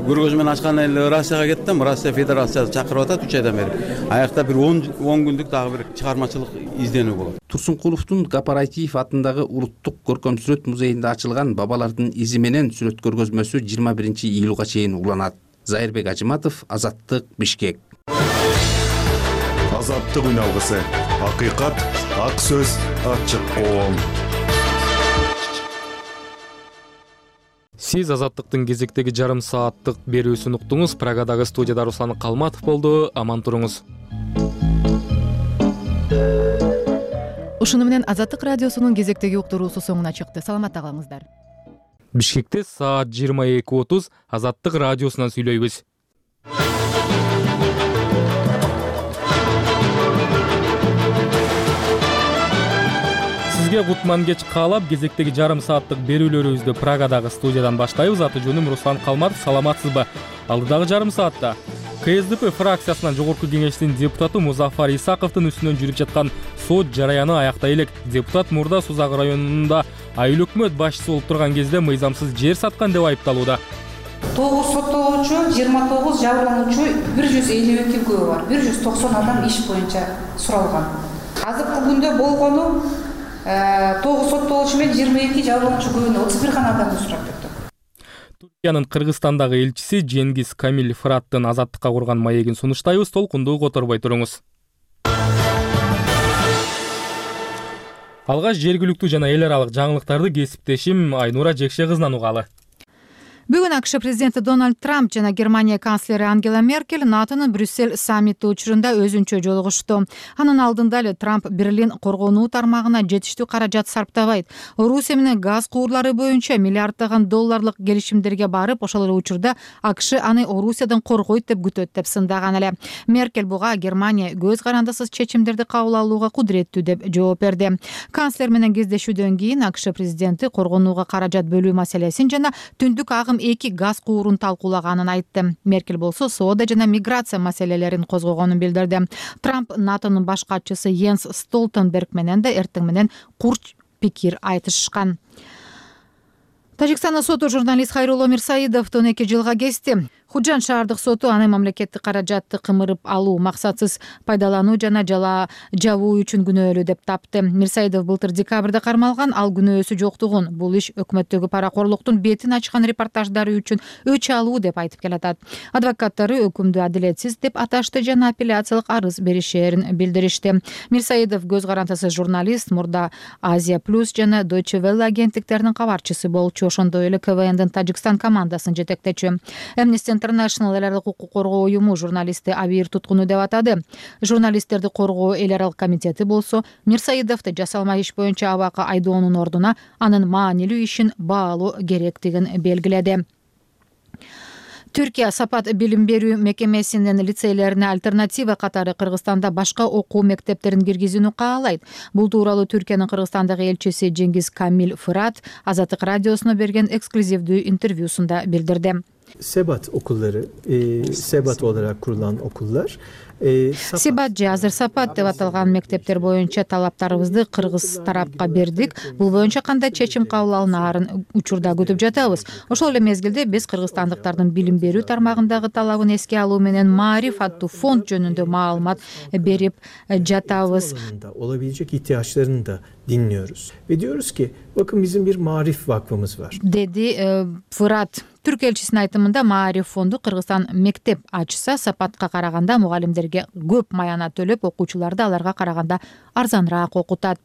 [SPEAKER 19] көргөзмө ачкандан эле Россияга кеттим. Россия Федерациясы чакырып атат 3 айдан бери. Аякта бир 10 күндүк дагы бир чыгармачылык изденүү болот.
[SPEAKER 20] Турсункуловдун Гапараитиев атындагы Улуттук көркөм сүрөт музейинде ачылган бабалардын изи менен сүрөт көргөзмөсү 21-июлга чейин уланат. Зайырбек Ажыматов, Азаттык, Бишкек.
[SPEAKER 18] Азаттык үн алгысы. Акыйкат, ак сөз, ачык коом.
[SPEAKER 1] Сиз Азаттыктын кезектеги жарым сааттык берүүсүн уктуңуз. Прагадагы студияда Руслан Калматов болду. Аман туруңуз.
[SPEAKER 4] Ушуну менен Азаттык радиосунун кезектеги уктуруусу соңуна чыкты. Саламатта калыңыздар.
[SPEAKER 1] Бишкекте саат 22:30 Азаттык радиосунан сүйлөйбүз. Сизге кутман кеч каалап, кезектеги жарым сааттык берүүлөрүбүздү Прагадагы студиядан баштайбыз. Аты жөнүм Руслан Калматов. Саламатсызбы? Алдыдагы жарым саатта КСДП фракциясынан Жогорку кеңештин депутаты Музафар Исаковдун үстүнөн жүрүп жаткан сот жараяны аяктай элек. Депутат мурда Сузак районунда айыл өкмөт башчысы болуп турган кезде мыйзамсыз жер саткан деп айыпталууда.
[SPEAKER 5] 9 соттолуучу, 29 жабырлануучу, 152 күбө бар. 190 адам иш боюнча суралган. Азыркы күндө болгону 9 соттолуучу менен 22 жабырлануучу күбөнө 31 гана адамды сурап өттүк.
[SPEAKER 1] Туркиянын Кыргызстандагы элчиси Женгиз Камил Фыраттын Азаттыкка курган маегин сунуштайбыз. Толкунду которбой туруңуз. Алгач жергиликтүү жана эл аралык жаңылыктарды кесиптешим Айнура Жекше кызынан угалы.
[SPEAKER 4] Бүгүн АКШ президенти Дональд Трамп жана Германия канцлери Ангела Меркель НАТОнун Брюссель саммити учурунда өзүнчө жолугушту. Анын алдында эле Трамп Берлин коргонуу тармагына жетиштүү каражат сарптабайт. Орусия менен газ куурлары боюнча миллиарддаган долларлык келишимдерге барып, ошол эле учурда АКШ аны Орусиядан коргойт деп күтөт деп сындаган эле. Меркель буга Германия көз карандысыз чечимдерди кабыл алууга кудуреттүү деп жооп берди. Канцлер менен кездешүүдөн кийин АКШ президенти коргонууга каражат бөлүү маселесин жана түндүк агым 2 газ куурун талкуулаганын айтты. Меркель болсо соода жана миграция маселелерин козгогонун билдирди. Трамп НАТОнун баш катчысы Йенс Столтенберг менен да эртең менен курч пикир айтышкан. Тажикстандын соту журналист Хайрулло Мирсаидовду 12 жылга кести. Худжан шаардык соту аны мамлекеттик каражатты кымырып алуу, максатсыз пайдалануу жана жабуу үчүн күнөөлүү деп тапты. Мирсаидов былтыр декабрда кармалган, ал күнөөсү жоктугун, бул иш өкмөттөгү паракорлуктун бетин ачкан репортаждары үчүн өч алуу деп айтып келатат. Адвокаттары өкүмдү адилетсиз деп аташты жана апелляциялык арыз беришерин билдиришти. Мирсаидов көз карандысыз журналист, мурда Азия Плюс жана Deutsche Welle агенттиктеринин кабарчысы болчу, ошондой эле КВНдин Тажикстан командасын жетектечү. Amnesty International эл аралык укук коргоо уюму журналистти абийир туткуну деп атады. Журналисттерди коргоо эл аралык комитети болсо Мирсаидовду жасалма иш боюнча абакка айдоонун ордуна анын маанилүү ишин баалоо керектигин белгиледи. Түркия Сапат билим берүү мекемесинин лицейлерине альтернатива катары Кыргызстанда башка окуу мектептерин киргизүүнү каалайт. Бул тууралуу Түркиянын Кыргызстандагы элчиси Женгиз Камил Фырат Азаттык радиосуна берген эксклюзивдүү интервьюсунда билдирди.
[SPEAKER 23] Sebat okulları, Sebat olarak kurulan okullar.
[SPEAKER 4] Себат же азыр Сапат деп аталган мектептер боюнча талаптарыбызды кыргыз тарапка бердик. Бул боюнча кандай чечим кабыл алынаарын учурда күтүп жатабыз. Ошол эле мезгилде биз кыргызстандыктардын билим берүү тармагындагы талабын эске алуу менен Маариф аттуу фонд жөнүндө маалымат берип жатабыз.
[SPEAKER 23] Olabilecek ihtiyaçlarını da dinliyoruz. Ve diyoruz ki bakın bizim bir Maarif Vakfımız var.
[SPEAKER 4] Dedi Fırat. Түрк элчисинин айтымында Маариф фонду Кыргызстан мектеп ачса Сапатка караганда мугалимдерге көп маяна төлөп, окуучуларды аларга караганда арзаныраак окутат.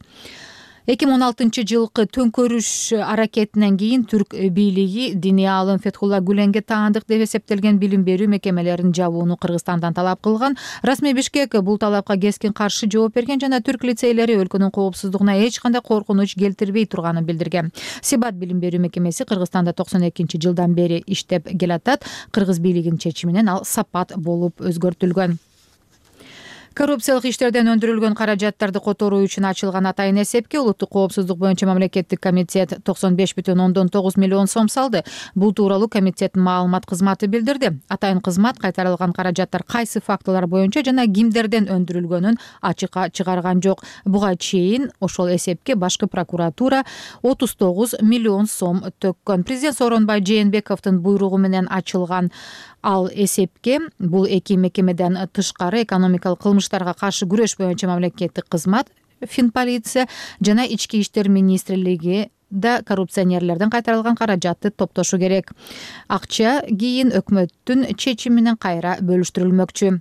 [SPEAKER 4] 2016-жылкы төңкөрүш аракетинен кийин түрк бийлиги диний аалым Фетхулла Гүленге таандык деп эсептелген билим берүү мекемелерин жабууну Кыргызстандан талап кылган. Расмий Бишкек бул талапка кескин каршы жооп берген жана түрк лицейлери өлкөнүн коопсуздугуна эч кандай коркунуч келтирбей турганын билдирген. Себат билим берүү мекемеси Кыргызстанда 92-жылдан бери иштеп келатат. Кыргыз бийлигинин чечиминен ал Сапат болуп өзгөртүлгөн. Коррупциялык иштерден өндүрүлгөн каражаттарды которуу үчүн ачылган атайын эсепке улуттук коопсуздук боюнча мамлекеттик комитет 95,9 миллион сом салды. Бул тууралуу комитеттин маалымат кызматы билдирди. Атайын кызмат кайтарылган каражаттар кайсы фактылар боюнча жана кимдерден өндүрүлгөнүн ачыкка чыгарган жок. Буга чейин ошол эсепке башкы прокуратура 39 миллион сом төккөн. Президент Сооронбай Жээнбековдун буйругу менен ачылган ал эсепке бул эки мекемеден тышкары экономикалык кылмыштарга каршы күрөш боюнча мамлекеттик кызмат, Финполиция жана Ички иштер министрлиги да коррупционерлерден кайтарылган каражатты топтошу керек. Акча кийин өкмөттүн чечими менен кайра бөлүштүрүлмөкчү.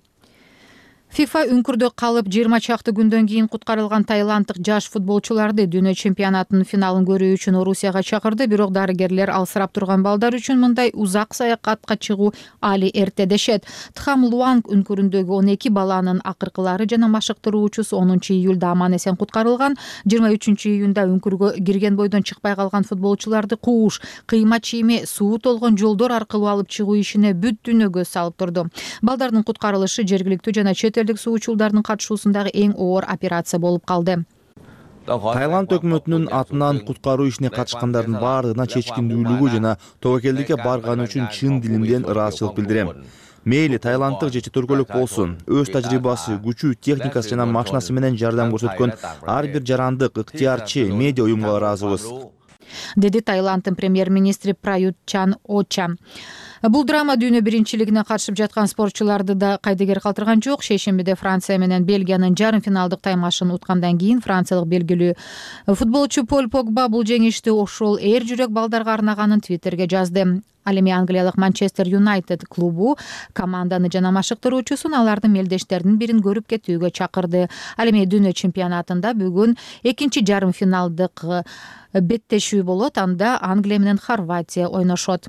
[SPEAKER 4] ФИФА үңкүрдө калып 20 чакты күндөн кийин куткарылган таиланддык жаш футболчуларды дүйнө чемпионатынын финалын көрүү үчүн Орусияга чакырды, бирок дарыгерлер алсырап турган балдар үчүн мындай узак саякатка чыгуу али эрте дешет. Тхам Луанг үңкүрүндөгү 12 баланын акыркылары жана машыктыруучусу 10 июлда аман эсен куткарылган. 23 июнда үңкүргө кирген бойдон чыкпай калган футболчуларды кууш, кыйма чийме, суу толгон жолдор аркылуу алып чыгуу ишине бүт дүйнө көз салып турду. Балдардын куткарылышы жергиликтүү жана чет элдик суучулдардын катышуусундагы эң оор операция болуп калды.
[SPEAKER 6] Таиланд өкмөтүнүн атынан куткаруу ишине катышкандардын баардыгына чечкиндүүлүгү жана тобокелдикке барганы үчүн чын дилимден ыраазычылык билдирем. Мейли таиланддык же чет өлкөлүк болсун, өз тажрыйбасы, күчү, техникасы жана машинасы менен жардам көрсөткөн ар бир жарандык, ыктыярчы медиа уюмга ыраазыбыз,
[SPEAKER 4] деди Таиланддын премьер-министри Прают Чан-Оча. Бул драма дүйнө биринчилигине катышып жаткан спортчуларды да кайдыгер калтырган жок. Шейшембиде Франция менен Бельгиянын жарым финалдык таймашын уткандан кийин франциялык белгилүү футболчу Поль Погба бул жеңишти ошол эр жүрөк балдарга арнаганын Твиттерге жазды. Ал эми англиялык Манчестер Юнайтед клубу команданы жана машыктыруучусун алардын мелдештеринин бирин көрүп кетүүгө чакырды. Ал эми дүйнө чемпионатында бүгүн экинчи жарым финалдык беттешүү болот. Анда Англия менен Хорватия ойношот.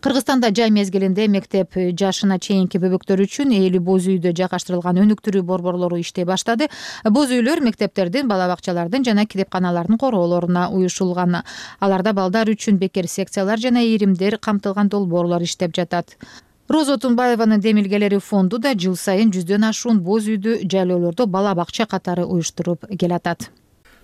[SPEAKER 4] Кыргызстанда жай мезгилинде мектеп жашына чейинки бөбөктөр үчүн ээлүү боз үйдө жайгаштырылган өнүктүрүү борборлору иштей баштады. Боз үйлөр мектептердин, бала бакчалардын жана китепканалардын короолоруна уюшулган. Аларда балдар үчүн бекер секциялар жана иримдер камтылган долбоорлор иштеп жатат. Роза Отунбаеванын демилгелери фонду да жыл сайын 100дөн ашуун боз үйдү жайлоолордо бала бакча катары уюштуруп келатат.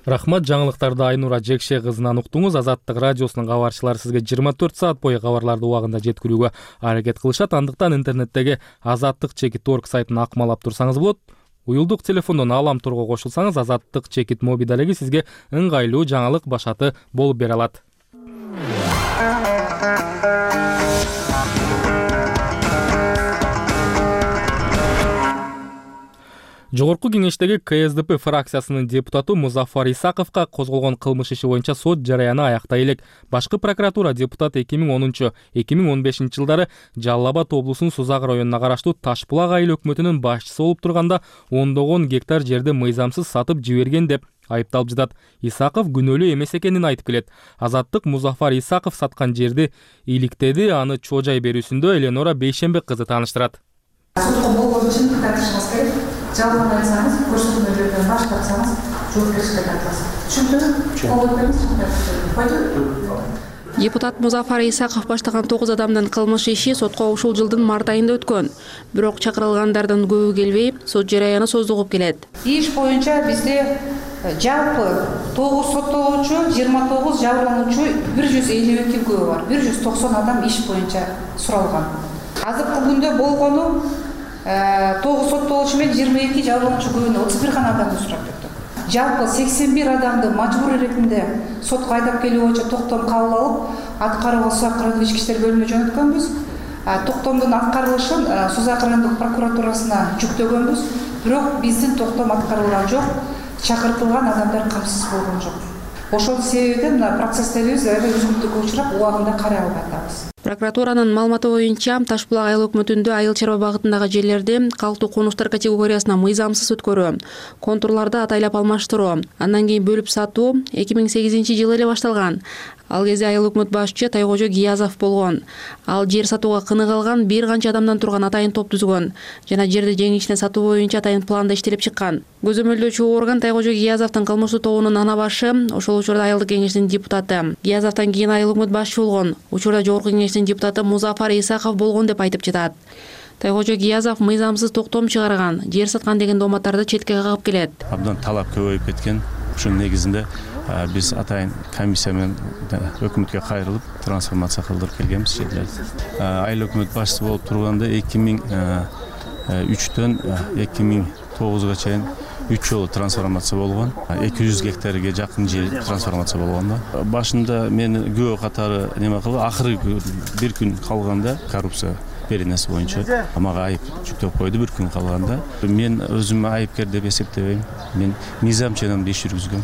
[SPEAKER 1] Рахмат, жаңылыктарды Айнура Жекше кызынан уктуңуз. Азаттык радиосунун кабарчылары сизге 24 саат бою кабарларды убагында жеткирүүгө аракет кылышат. Андыктан интернеттеги azattik.org сайтын акмалап турсаңыз болот. Уюлдук телефондон Алам турго кошулсаңыз, Азаттык чекит моби далеги сизге ыңгайлуу жаңылык башаты болуп бере алат. Жогорку кеңештеги КСДП фракциясынын депутаты Музафар Исаковго козголгон кылмыш иши боюнча сот жараяны аяктай элек. Башкы прокуратура депутаты 2010-2015 жылдары Жалал Абад облусунун Сузак районуна караштуу Таш булак айыл өкмөтүнүн башчысы болуп турганда ондогон гектар жерди мыйзамсыз сатып жиберген деп айыпталып жатат. Исаков күнөөлүү эмес экенин айтып келет. Азаттык Музафар Исаков саткан жерди иликтеди, аны чожай берүүсүндө Эленора Бейшембек кызы тааныштырат.
[SPEAKER 5] Сотко болгон үчүн кайтышыңыз керек. Жалган айтсаңыз, көрсөтмөлөрдөн баш тартсаңыз, жоопкерчиликке тартасыз. Түшүндүрүм?
[SPEAKER 2] Депутат Музафар Исаков баштаган 9 адамдын кылмыш иши сотко ушул жылдын март айында өткөн. Бирок чакырылгандардын көбү келбей, сот жараяны создугуп келет.
[SPEAKER 5] Иш боюнча бизде жалпы 9 соттолуучу, 29 жабырлануучу, 152 күбө бар. 190 адам иш боюнча суралган. Азыркы күндө болгону 9 соттолуучу менен 22 жабырлануучу күбөнө 31 гана адамды сурап кеттик. Жалпы 81 адамды мажбур иретинде сотко айдап келүү боюнча токтом кабыл алып, аткарууга Сузак райондук ички иштер бөлүмүнө жөнөткөнбүз. Токтомдун аткарылышын Сузак райондук прокуратурасына жүктөгөнбүз. Бирок биздин токтом аткарылган жок, чакыртылган адамдар камсыз болгон жок. Ошол себептен процесстерибиз үзгүлтүккө учурап, убагында карай албай атабыз.
[SPEAKER 2] Прокуратуранын маалыматы боюнча Таш булак айыл өкмөтүндө айыл чарба багытындагы жерлерди калктуу конуштар категориясына мыйзамсыз өткөрүү, контурларды атайлап алмаштыруу, андан кийин бөлүп сатуу 2008 жылы эле башталган. Ал кезде айыл өкмөт башчы Тайкожо Гиязов болгон. Ал жер сатууга кыныгалган бир канча адамдан турган атайын топ түзгөн жана жерди жеңишинен сатуу боюнча атайын планда иштелип чыккан. Көзөмөлдөөчү орган Тайкожо Гиязовдун кылмыштуу тобунун ана башы, ошол учурда айылдык кеңештин депутаты. Гиязовдон кийин айыл өкмөт башчы болгон. Учурда жогорку кеңештин депутаты Музафар Исаков болгон деп айтып жатат. Тойкожо Гиязов мыйзамсыз токтом чыгарган, жер саткан деген дооматтарды четке кагып келет.
[SPEAKER 8] Абдан талап көбөйүп кеткен. Ушунун негизинде биз атайын комиссия менен өкмөткө кайрылып трансформация кылдырып келгенбиз жерлерди. Айыл өкмөт башчысы болуп турганда 2003-төн 2009-га чейин 3 жолу трансформация болгон. 200 гектарга жакын жер трансформация болгон да. Башында мен күбө катары неме кылып, акыркы бир күн калганда коррупция беренеси боюнча мага айып жүктөп койду бир күн калганда. Мен өзүмө айыпкер деп эсептебейм. Мен мыйзам ченем иш жүргүзгөм.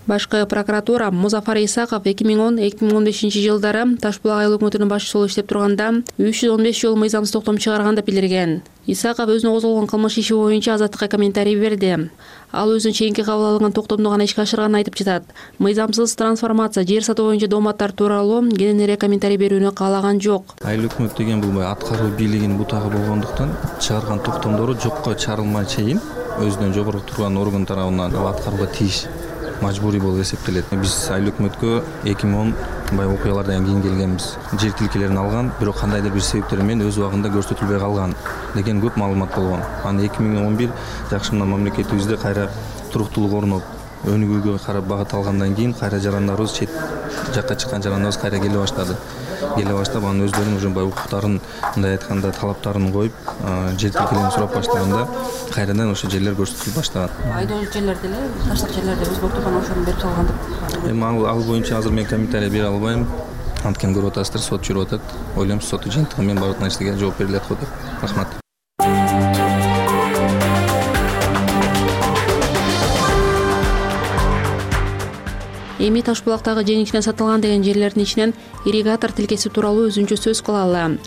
[SPEAKER 2] Башкы прокуратура Музафар Исаков 2010-2015 жылдары Таш булак айыл өкмөтүнүн башчысы болуп иштеп турганда 315 жолу мыйзамсыз токтом чыгарган деп билдирген. Исаков өзүнө козголгон кылмыш иши боюнча Азаттыкка комментарий берди. Ал өзүнүн чейинки кабыл алынган токтомду гана ишке ашырганын айтып жатат. Мыйзамсыз трансформация, жер сатуу боюнча дооматтар тууралуу кененирээк комментарий берүүнү каалаган жок.
[SPEAKER 9] Айыл өкмөт деген бул аткаруу бийлигинин бутагы болгондуктан чыгарган токтомдору жокко чыгарылмай чейин өзүнөн жогору турган орган тарабынан аткарууга тийиш мажбурий болуп эсептелет. Биз айыл өкмөткө 2010 бай окуялардан кийин келгенбиз. Жер тилкелерин алган, бирок кандайдыр бир себептер менен өз убагында көрсөтүлбөй калган деген көп маалымат болгон. Аны 2011 жакшымына мамлекетибизде кайра туруктуулук орноп, өнүгүүгө карап багыт алгандан кийин кайра жарандарыбыз чет жакка чыккан жарандарыбыз кайра келе баштады. Анын өздөрүнүн уже бай укуктарын, мындай айтканда талаптарын коюп, жер тилкелерин сурап баштаганда кайрадан ошо жерлер көрсөтүлүп баштаган.
[SPEAKER 2] Айдоо жерлерде эле таштык жерлерде өзгөртүп анан ошону берип салган деп.
[SPEAKER 9] Эми ал боюнча азыр мен комментарий бере албайм. Анткени көрүп атасыздар, сот жүрүп атат. Ойлойм, соттун жыйынтыгы менен бардык нерсеге жооп берилет го деп. Рахмат.
[SPEAKER 2] Эми Таш булактагы жеңишинен сатылган деген жерлердин ичинен ирригатор тилкеси тууралуу өзүнчө сөз кылалы.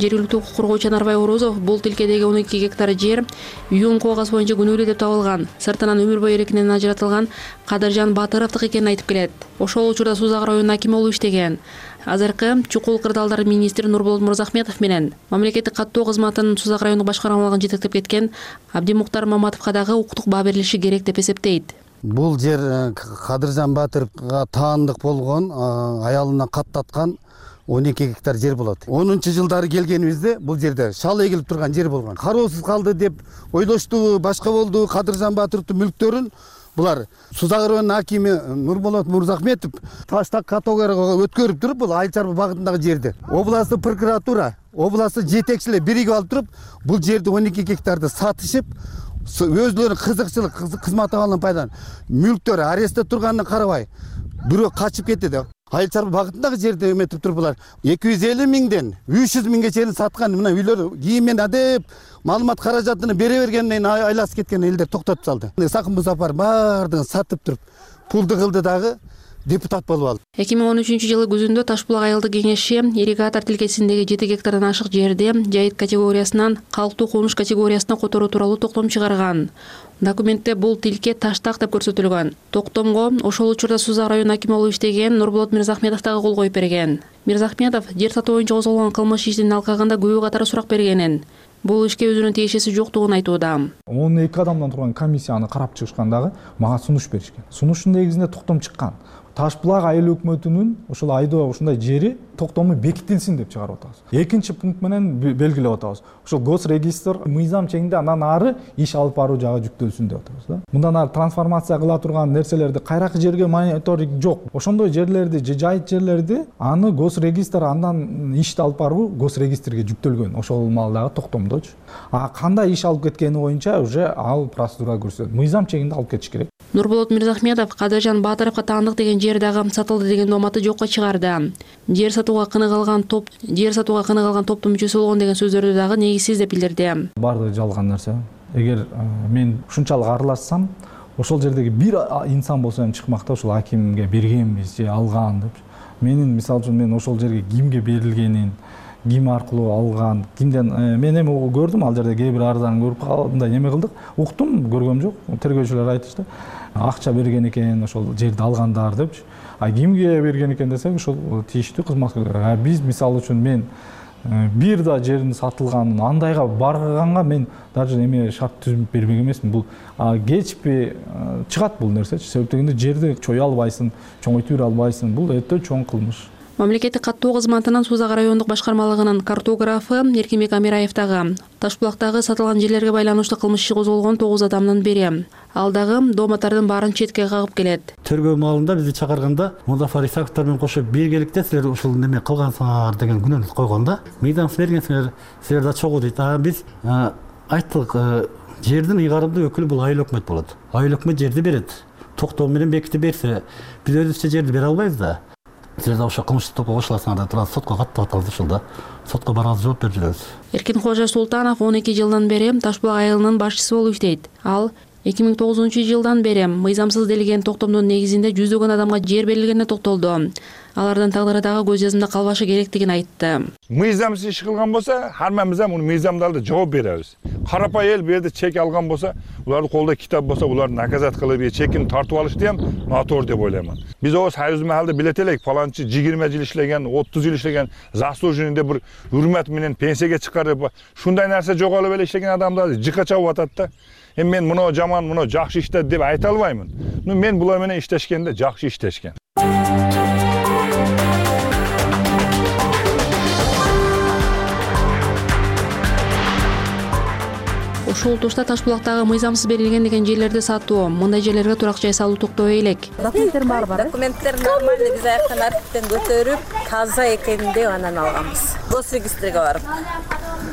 [SPEAKER 2] Жергиликтүү укук коргоочу Нарбай Орозов бул тилкедеги 12 гектар жер ЮН коогаз боюнча күнөөлүү деп табылган, сыртынан өмүр бою эркинен ажыратылган Кадыржан Батыровдук экенин айтып келет. Ошол учурда Сузак районунун акими болуп иштеген. Азыркы чукул кырдаалдар министри Нурболот Мырзахметов менен мамлекеттик каттоо кызматынын Сузак райондук башкармалыгын жетектеп кеткен Абдимуктар Маматовго дагы укуктук баа берилиши керек деп эсептейт.
[SPEAKER 10] Бул жер Кадыржан Батыровго таандык болгон, аялына каттаткан 12 гектар жер болот. 10-жылдары келгенибизде бул жерде шал эгилип турган жер болгон. Кароосуз калды деп ойлошту, башка болду. Кадыржан Батыровдун мүлктөрүн булар Сузак районунун акими Нурболот Мырзахметов таштак категорияга өткөрүп туруп, бул айыл чарба багытындагы жерди областтык прокуратура, областтык жетекчилер биригип алып туруп, бул жерди 12 гектарды сатышып, өзлөрүнүн кызыкчылык кызмат абалынан пайдаланып, мүлктөр арестте турганына карабай, бирөө качып кетти да. Айыл чарба багытындагы жерди эметип туруп булар 250 миңден 300 миңге чейин саткан мына үйлөр кийинмен адеп маалымат каражатыны бере бергенден айласып кеткен элдер токтотуп салды. Сакын Музафар баардыгын сатып туруп пулду кылды дагы депутат болуп алды.
[SPEAKER 2] 2013-жылы күзүндө Таш булак айылдык кеңеши ирригатор тилкесиндеги 7 гектардан ашык жерди жайыт категориясынан калктуу конуш категориясына которуу тууралуу токтом чыгарган. Документте бул тилке таштак деп көрсөтүлгөн. Токтомго ошол учурда Сузак районунун акими болуп иштеген Нурболот Мырзахметов дагы кол коюп берген. Мырзахметов жер сатуу боюнча козголгон кылмыш ишин алкаганда күбө катары сурак бергенин, бул ишке өзүнүн тиешеси жоктугун айтууда.
[SPEAKER 24] 12 адамдан турган комиссияны карап чыгышкандагы мага сунуш беришкен. Сунуштун негизинде токтом чыккан. Таш булак айыл өкмөтүнүн ошол айдоо ушундай жери токтому бекитилсин деп чыгарып атабыз. Экинчи пункт менен белгилеп атабыз. Ошол госрегистр мыйзам чегинде андан ары иш алып баруу жагы жүктөлсүн деп атабыз да. Мындан ары трансформация кыла турган нерселерди кайракы жерге мониторинг жок. Ошондой жерлерди, жайыт жерлерди аны госрегистр андан ишти алып баруу госрегистрге жүктөлгөн. Ошол маалдагы токтомдочу. А кандай иш алып кеткени боюнча уже ал процедура көрсөтөт. Мыйзам чегинде алып кетиш керек.
[SPEAKER 2] Нурболот Мырзахметов Кадыржан Батыровго таандык деген жер дагы сатылды деген дооматты жокко чыгарды. Жер сатууга кыныгалган топтун мүчөсү болгон деген сөздөрдү дагы негизсиз деп билдирди.
[SPEAKER 24] Бардыгы жалган нерсе. Эгер мен ушунчалык аралашсам, ошол жердеги бир инсан болсо эми чыкмакта ошол акимге бергенбиз же алган деп. Мисалы үчүн мен ошол жерге кимге берилгенин, ким аркылуу алган, кимден мен эми көрдүм, ал жерде кээ бир арызаны көрүп калдым, неме кылдык, уктум, көргөм жок. Тергөөчүлөр айтышты. Акча берген экен ошол жерди алгандар депчи. А кимге берген экен десек, ошол тийиштүү кызматкерлер. Биз мисалы үчүн мен бир да жердин сатылганын андайга барганга мен даже эме шарт түзүп бербек эмесмин. Бул кечпи чыгат бул нерсечи. Себеп дегенде жерди чое албайсың, чоңойтуп бере албайсың. Бул өтө чоң кылмыш.
[SPEAKER 2] Мамлекеттик каттоо кызматынын Сууз Ак райондук башкармалыгынын картографы Эркинбек Амираев дагы Таш булактагы сатылган жерлерге байланыштуу кылмыш иши козголгон 9 адамдын бири. Ал дагы дооматтардын баарын четке кагып келет.
[SPEAKER 3] Тергөө маалында бизди чакырганда Музафар Исаковтар менен кошо биргеликте силер ушул неме кылгансыңар деген күнөөнү койгонда, мыйзамсыз бергенсиңер, силер да чогуу дейт. Биз айттык, жердин ыйгарымдуу өкүлү бул айыл өкмөт болот. Айыл өкмөт жерди берет. Токтоо менен бекитип берсе, биз өзүбүзчө жерди бере албайбыз да. Силер да ошо кылмыштык топко кошуласыңар да турат, сотко каттап атабыз ушул да. Сотко барабыз, жооп берип жүрөбүз.
[SPEAKER 2] Эркинкожо Султанов 12 жылдан бери Таш булак айылынын башчысы болуп иштейт. Ал 2009-жылдан бери мыйзамсыз делген токтомдун негизинде жүздөгөн адамга жер берилгенине токтолду. Алардын тагдыры дагы көз жазымда калбашы керектигин айтты.
[SPEAKER 7] Мыйзамсыз иш кылган болсо, хаммамыз муну мыйзамдарды жооп беребиз. Карапай эл бу жерде чек алган болсо, улардын колдо китап болсо, уларды наказат кылып, чекин тартып алышты hem натор деп ойлоймун. Биз о союз маалда билет элек, фаланчы 20 жыл иштеген, 30 жыл иштеген, заслуженный бир урмат менен пенсияга чыгарып, шундай нерсе жоголуп эле иштеген адамдарды жыкка чабып атат да. Мен муну жаман, муну жакшы иштеди деп айта албаймын. Мен булар менен иштешкенде жакшы иштешкен.
[SPEAKER 2] Ушул тушта Таш булактагы мыйзамсыз берилген деген жерлерди сатуу, мындай жерлерге турак жай салуу токтобой элек.
[SPEAKER 12] Документтер бар. Документтер нормальный, биз аяктан архивден көтөрүп, таза экенин деп анан алганбыз. Госрегистрге барып.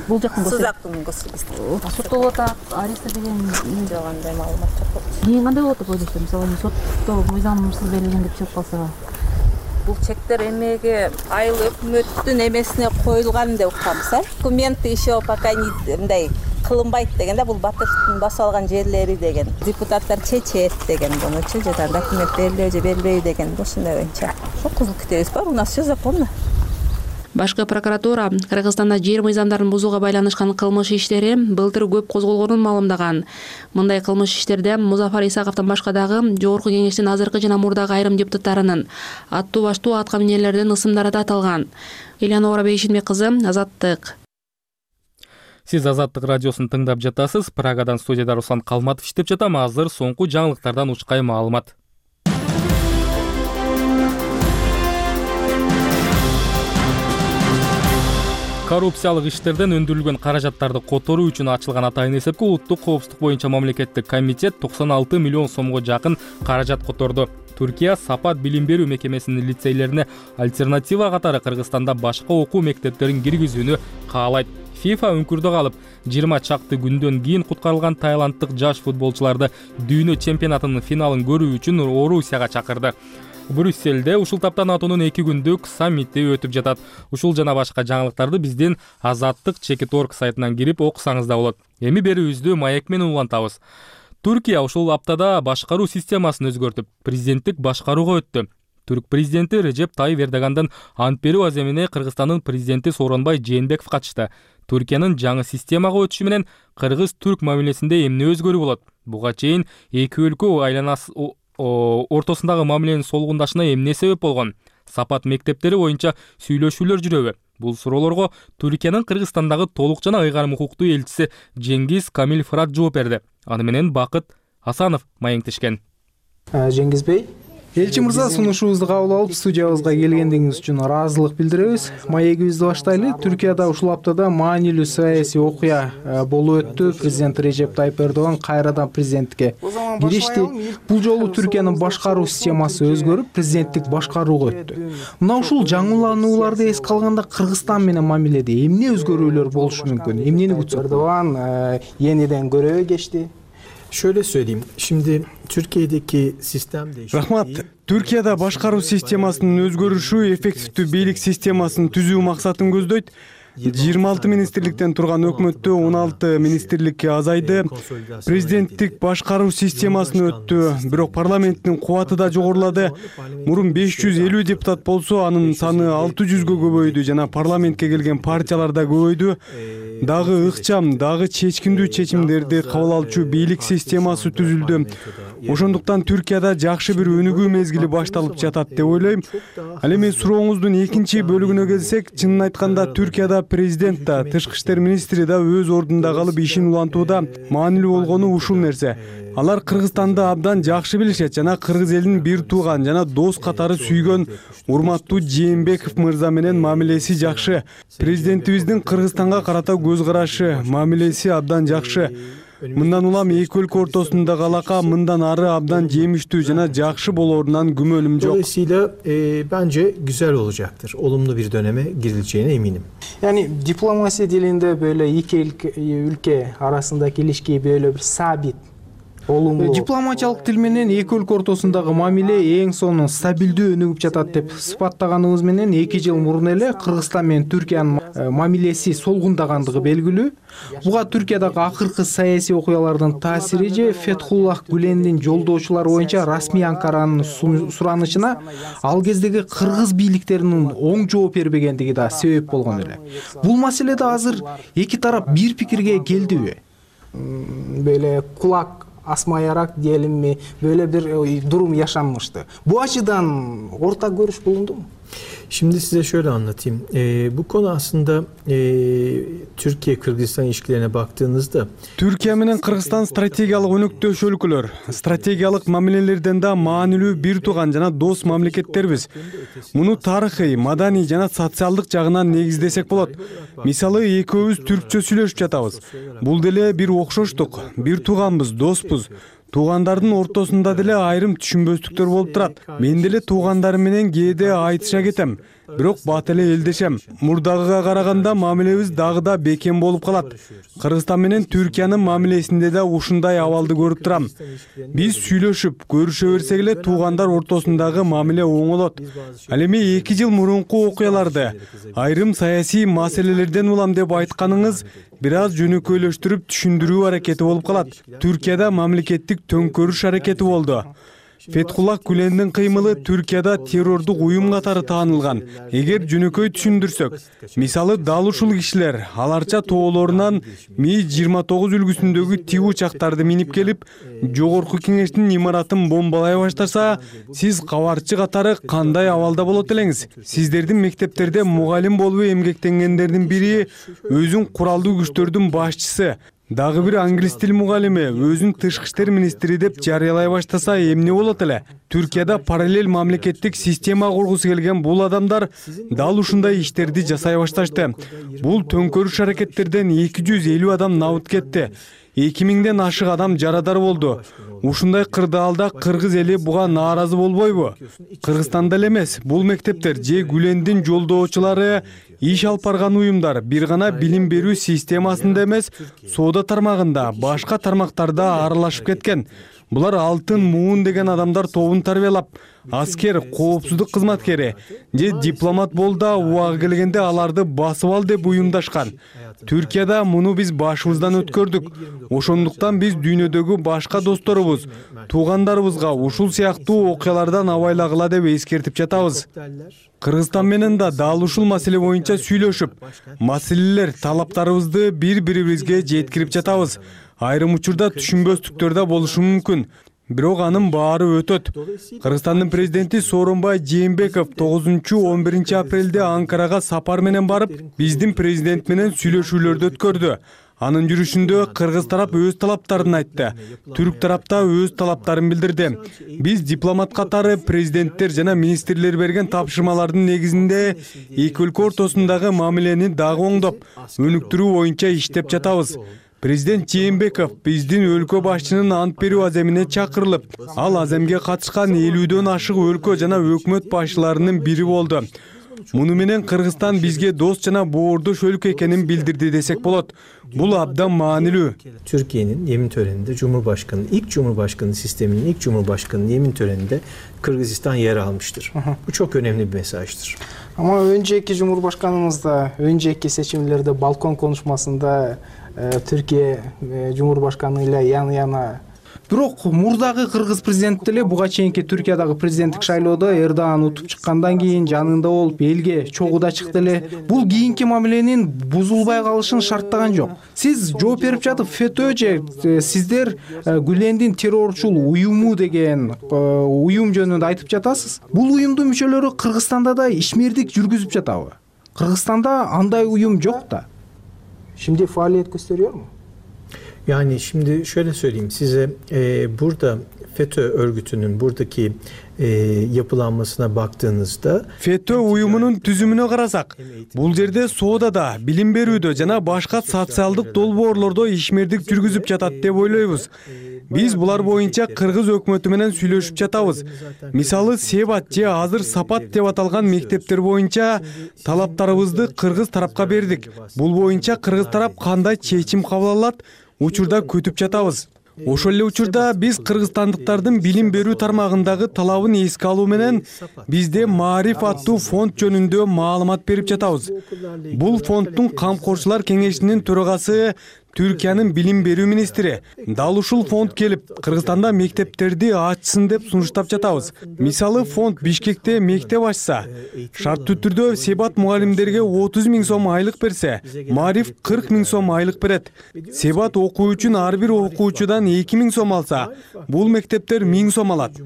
[SPEAKER 2] Бул жактын
[SPEAKER 12] Сууз Актын госрегистрге.
[SPEAKER 2] Соттолуп атат, арест деген
[SPEAKER 12] жок, андай маалымат жок.
[SPEAKER 2] Кийин кандай болот деп ойлойсуз? Мисалы, сотто мыйзамсыз берилген деп чыгып калса.
[SPEAKER 12] Бул чектер эмеге айыл өкмөттүн эмесине коюлган деп укканбыз, документы еще пока мындай кылынбайт деген да, бул батыштын басып алган жерлери деген. Депутаттар чечет деген бунучу, жада документ берилеби же берилбейби деген ушундай боюнча. Ошо кызыл китебиз бар, у нас все законно.
[SPEAKER 2] Башкы прокуратура Кыргызстанда жер мыйзамдарын бузууга байланышкан кылмыш иштери былтыр көп козголгонун маалымдаган. Мындай кылмыш иштерде Музафар Исаковдон башка дагы Жогорку Кеңештин азыркы жана мурдагы айрым депутаттарынын аттуу баштуу атка минерлердин ысымдары да аталган. Элеонора Бейшенбек кызы, Азаттык.
[SPEAKER 1] Сиз Азаттык радиосун тыңдап жатасыз. Прагадан студияда Руслан Калматов иштеп жатам. Азыр соңку жаңылыктардан учкай маалымат. Коррупциялык иштерден өндүрүлгөн каражаттарды которуу үчүн ачылган атайын эсепке улуттук коопсуздук боюнча мамлекеттик комитет 96 миллион сомго жакын каражат которду. Түркия Сапат билим берүү мекемесинин лицейлерине альтернатива катары Кыргызстанда башка окуу мектептерин киргизүүнү каалайт. ФИФА үңкүрдө калып 20 чакты күндөн кийин куткарылган таиланддык жаш футболчуларды дүйнө чемпионатынын финалын көрүү үчүн Орусияга чакырды. Брюссельде ушул тапта НАТОнун 2 күндүк саммити өтүп жатат. Ушул жана башка жаңылыктарды биздин Азаттык.org сайтынан кирип окусаңыз да болот. Эми берүүбүздү маек менен улантабыз. Түркия ушул аптада башкаруу системасын өзгөртүп, президенттик башкарууга өттү. Түрк президенти Режеп Тайып Эрдогандын ант берүү аземине Кыргызстандын президенти Сооронбай Жээнбеков катышты. Түркиянын жаңы системага өтүшү менен кыргыз-түрк мамилесинде эмне өзгөрүү болот? Буга чейин эки өлкө айланасы ортосундагы мамиленин солгундашына эмне себеп болгон? Сапат мектептери боюнча сүйлөшүүлөр жүрөбү? Бул суроолорго Түркиянын Кыргызстандагы толук жана ыйгарым укуктуу элчиси Жеңгиз Камил Фырат жооп берди. Аны менен Бакыт Асанов маектешкен.
[SPEAKER 17] Жеңгиз бей, элчи мырза, сунушубузду кабыл алып студиябызга келгендигиңиз үчүн ыраазылык билдиребиз. Маегибизди баштайлы. Түркияда ушул аптада маанилүү саясий окуя болуп өттү. Президент Режеп Тайып Эрдоган кайрадан президентке киришти. Бул жолу Түркиянын башкаруу системасы өзгөрүп, президенттик башкарууга өттү. Мына ушул жаңыланууларды эске алганда Кыргызстан менен мамиледе эмне өзгөрүүлөр болушу мүмкүн? Эмнени күтсөк?
[SPEAKER 23] Эрдоган yeniden göreve geçti. Şöyle söyleyeyim. Şimdi Türkiye'deki sistem değişti.
[SPEAKER 13] Рахмат. Түркияда башкаруу системасынын өзгөрүшү эффективдүү бийлик системасын түзүү максатын көздөйт. 26 министрликтен турган өкмөттө 16 министрлик азайды. Президенттик башкаруу системасын өттү, бирок парламенттин кубаты да жогорулады. Мурун 550 депутат болсо, анын саны 600гө көбөйдү жана парламентке келген партиялар да көбөйдү. Дагы ыкчам, дагы чечкиндүү чечимдерди кабыл алчу бийлик системасы түзүлдү. Ошондуктан Түркияда жакшы бир өнүгүү мезгили башталып жатат деп ойлойм. Ал эми сурооңуздун экинчи бөлүгүнө келсек, чынын айтканда Түркияда президент да, тышкы иштер министри да өз ордунда калып ишин улантууда маанилүү болгону ушул нерсе. Алар Кыргызстанды абдан жакшы билишет жана кыргыз элин бир тууган жана дос катары сүйгөн урматтуу Жээнбеков мырза менен мамилеси жакшы. Президентибиздин Кыргызстанга карата көз карашы, мамилеси абдан жакшы. Мындан улам эки өлкө ортосундагы алака мындан ары абдан жемиштүү жана жакшы болорунан күмөнүм жок.
[SPEAKER 23] Dolayısıyla bence güzel olacaktır. Olumlu bir döneme girileceğine eminim. Yani diplomasi dilinde böyle iki ülke arasındaki ilişkiyi böyle bir sabit
[SPEAKER 17] дипломатиялык тил менен эки өлкө ортосундагы мамиле эң сонун стабилдүү өнүгүп жатат деп сыпаттаганыбыз менен 2 жыл мурун эле Кыргызстан менен Түркиянын мамилеси солгундагандыгы белгилүү. Буга Түркиядагы акыркы саясий окуялардын таасири же Фетхуллах Гүлендин жолдоочулары боюнча расмий Анкаранын суранычына ал кездеги кыргыз бийликтеринин оң жооп бербегендиги да себеп болгон эле. Бул маселеде азыр эки тарап бир пикирге келдиби?
[SPEAKER 23] Böyle kulak asmayarak diyelim mi böyle bir durum yaşanmıştı. Bu açıdan ortak görüş bulundu mu? Şimdi size şöyle anlatayım. Bu konu aslında Türkiye-Kırgızistan ilişkilerine baktığınızda
[SPEAKER 13] Türkiye менен Кыргызстан стратегиялык өнөктөш өлкөлөр. Стратегиялык мамилелерден да маанилүү бир тууган жана дос мамлекеттербиз. Муну тарыхый, маданий жана социалдык жагынан негиздесек болот. Мисалы, экөөбүз түркчө сүйлөшүп жатабыз. Бул деле бир окшоштук, бир тууганбыз, доспуз. Туугандардын ортосунда деле айрым түшүнбөстүктөр болуп турат. Мен деле туугандарым менен кээде айтыша кетем, бирок бат эле элдешем. Мурдагыга караганда мамилебиз дагы да бекем болуп калат. Кыргызстан менен Түркиянын мамилесинде да ушундай абалды көрүп турам. Биз сүйлөшүп, көрүшө берсек эле туугандар ортосундагы мамиле оңолот. Ал эми 2 жыл мурунку окуяларды айрым саясий маселелерден улам деп айтканыңыз бир аз жөнөкөйлөштүрүп түшүндүрүү аракети болуп калат. Түркияда мамлекеттик төңкөрүш аракети болду. Фетхуллах Гүлендин кыймылы Түркияда террордук уюм катары таанылган. Эгер жөнөкөй түшүндүрсөк, мисалы дал ушул кишилер аларча тоолорунан Ми-29 үлгүсүндөгү тип учактарды минип келип, жогорку кеңештин имаратын бомбалай баштаса, сиз кабарчы катары кандай абалда болот элеңиз? Сиздердин мектептерде мугалим болуп эмгектенгендердин бири өзүн куралдуу күчтөрдүн башчысы, дагы бир англис тил мугалими өзүн тышкы иштер министри деп жарыялай баштаса эмне болот эле? Түркияда параллель мамлекеттик система кургусу келген бул адамдар дал ушундай иштерди жасай башташты. Бул төңкөрүш аракеттерден 250 адам набыт кетти. 2000ден ашык адам жарадар болду. Ушундай кырдаалда кыргыз эли буга нааразы болбойбу? Кыргызстанда эле эмес, бул мектептер же Гүлендин жолдоочулары иш алып барган уюмдар бир гана билим берүү системасында эмес, соода тармагында, башка тармактарда аралашып кеткен. Булар алтын муун деген адамдар тобун тарбиялап, аскер, коопсуздук кызматкери же дипломат болду, убагы келгенде аларды басып ал деп уюмдашкан. Түркияда муну биз башыбыздан өткөрдүк. Ошондуктан биз дүйнөдөгү башка досторубуз, туугандарыбызга ушул сыяктуу окуялардан абайлагыла деп эскертип жатабыз. Кыргызстан менен да дал ушул маселе боюнча сүйлөшүп, маселелер, талаптарыбызды бири-бирибизге жеткирип жатабыз. Айрым учурда түшүнбөстүктөр да болушу мүмкүн. Бирок анын баары өтөт. Кыргызстандын президенти Сооронбай Жээнбеков 9-11 апрелде Анкарага сапар менен барып, биздин президент менен сүйлөшүүлөрдү өткөрдү. Анын жүрүшүндө кыргыз тарап өз талаптарын айтты. Түрк тарапта өз талаптарын билдирди. Биз дипломат катары президенттер жана министрлер берген тапшырмалардын негизинде эки өлкө ортосундагы мамилени дагы оңдоп, өнүктүрүү боюнча иштеп жатабыз. Президент Жээнбеков биздин өлкө башчынын ант берүү аземине чакырылып, ал аземге катышкан 50дөн ашык өлкө жана өкмөт башчыларынын бири болду. Муну менен Кыргызстан бизге дос жана боордош өлкө экенин билдирди десек болот. Бул абдан маанилүү.
[SPEAKER 23] Türkiye'nin yemin töreninde ilk Cumhurbaşkanı sisteminin ilk Cumhurbaşkanı'nın yemin töreninde Kırgızistan yer almıştır. Bu çok önemli bir mesajdır.
[SPEAKER 11] Ama önceki Cumhurbaşkanımız da önceki seçimlerde balkon konuşmasında Türkiye Cumhurbaşkanı ile yan yana
[SPEAKER 17] Бирок мурдагы кыргыз президенти деле буга чейинки Түркиядагы президенттик шайлоодо Эрдоган утуп чыккандан кийин жанында болуп элге чогуу да чыкты эле. Бул кийинки мамиленин бузулбай калышын шарттаган жок. Сиз жооп берип жатып ФЭТÖ же сиздер Гүлендин террорчул уюму деген уюм жөнүндө айтып жатасыз. Бул уюмдун мүчөлөрү Кыргызстанда да ишмердик жүргүзүп жатабы? Кыргызстанда андай уюм жок да.
[SPEAKER 23] Şimdi faaliyet gösteriyor mu?
[SPEAKER 14] Yani şimdi şöyle söyleyeyim size, burada FETÖ örgütünün buradaki yapılanmasına baktığınızda
[SPEAKER 13] FETÖ уюмунун түзүмүнө карасак, бул жерде соодада, билим берүүдө жана башка социалдык долбоорлордо ишмердик жүргүзүп жатат деп ойлойбуз. Биз булар боюнча кыргыз өкмөтү менен сүйлөшүп жатабыз. Мисалы Себат же азыр Сапат деп аталган мектептер боюнча талаптарыбызды кыргыз тарапка бердик. Бул боюнча кыргыз тарап кандай чечим кабыл алат, учурда күтүп жатабыз. Ошол эле учурда биз кыргызстандыктардын билим берүү тармагындагы талабын эске алуу менен бизде Маариф аттуу фонд жөнүндө маалымат берип жатабыз. Бул фонддун камкорчулар кеңешинин төрагасы Түркиянын билим берүү министри. Дал ушул фонд келип, Кыргызстанда мектептерди ачсын деп сунуштап жатабыз. Мисалы фонд Бишкекте мектеп ачса, шарттуу түрдө Себат мугалимдерге 30 000 сом айлык берсе, Маариф 40 000 сом айлык берет. Себат окуу үчүн ар бир окуучудан 2 000 сом алса, бул мектептер 1000 сом алат.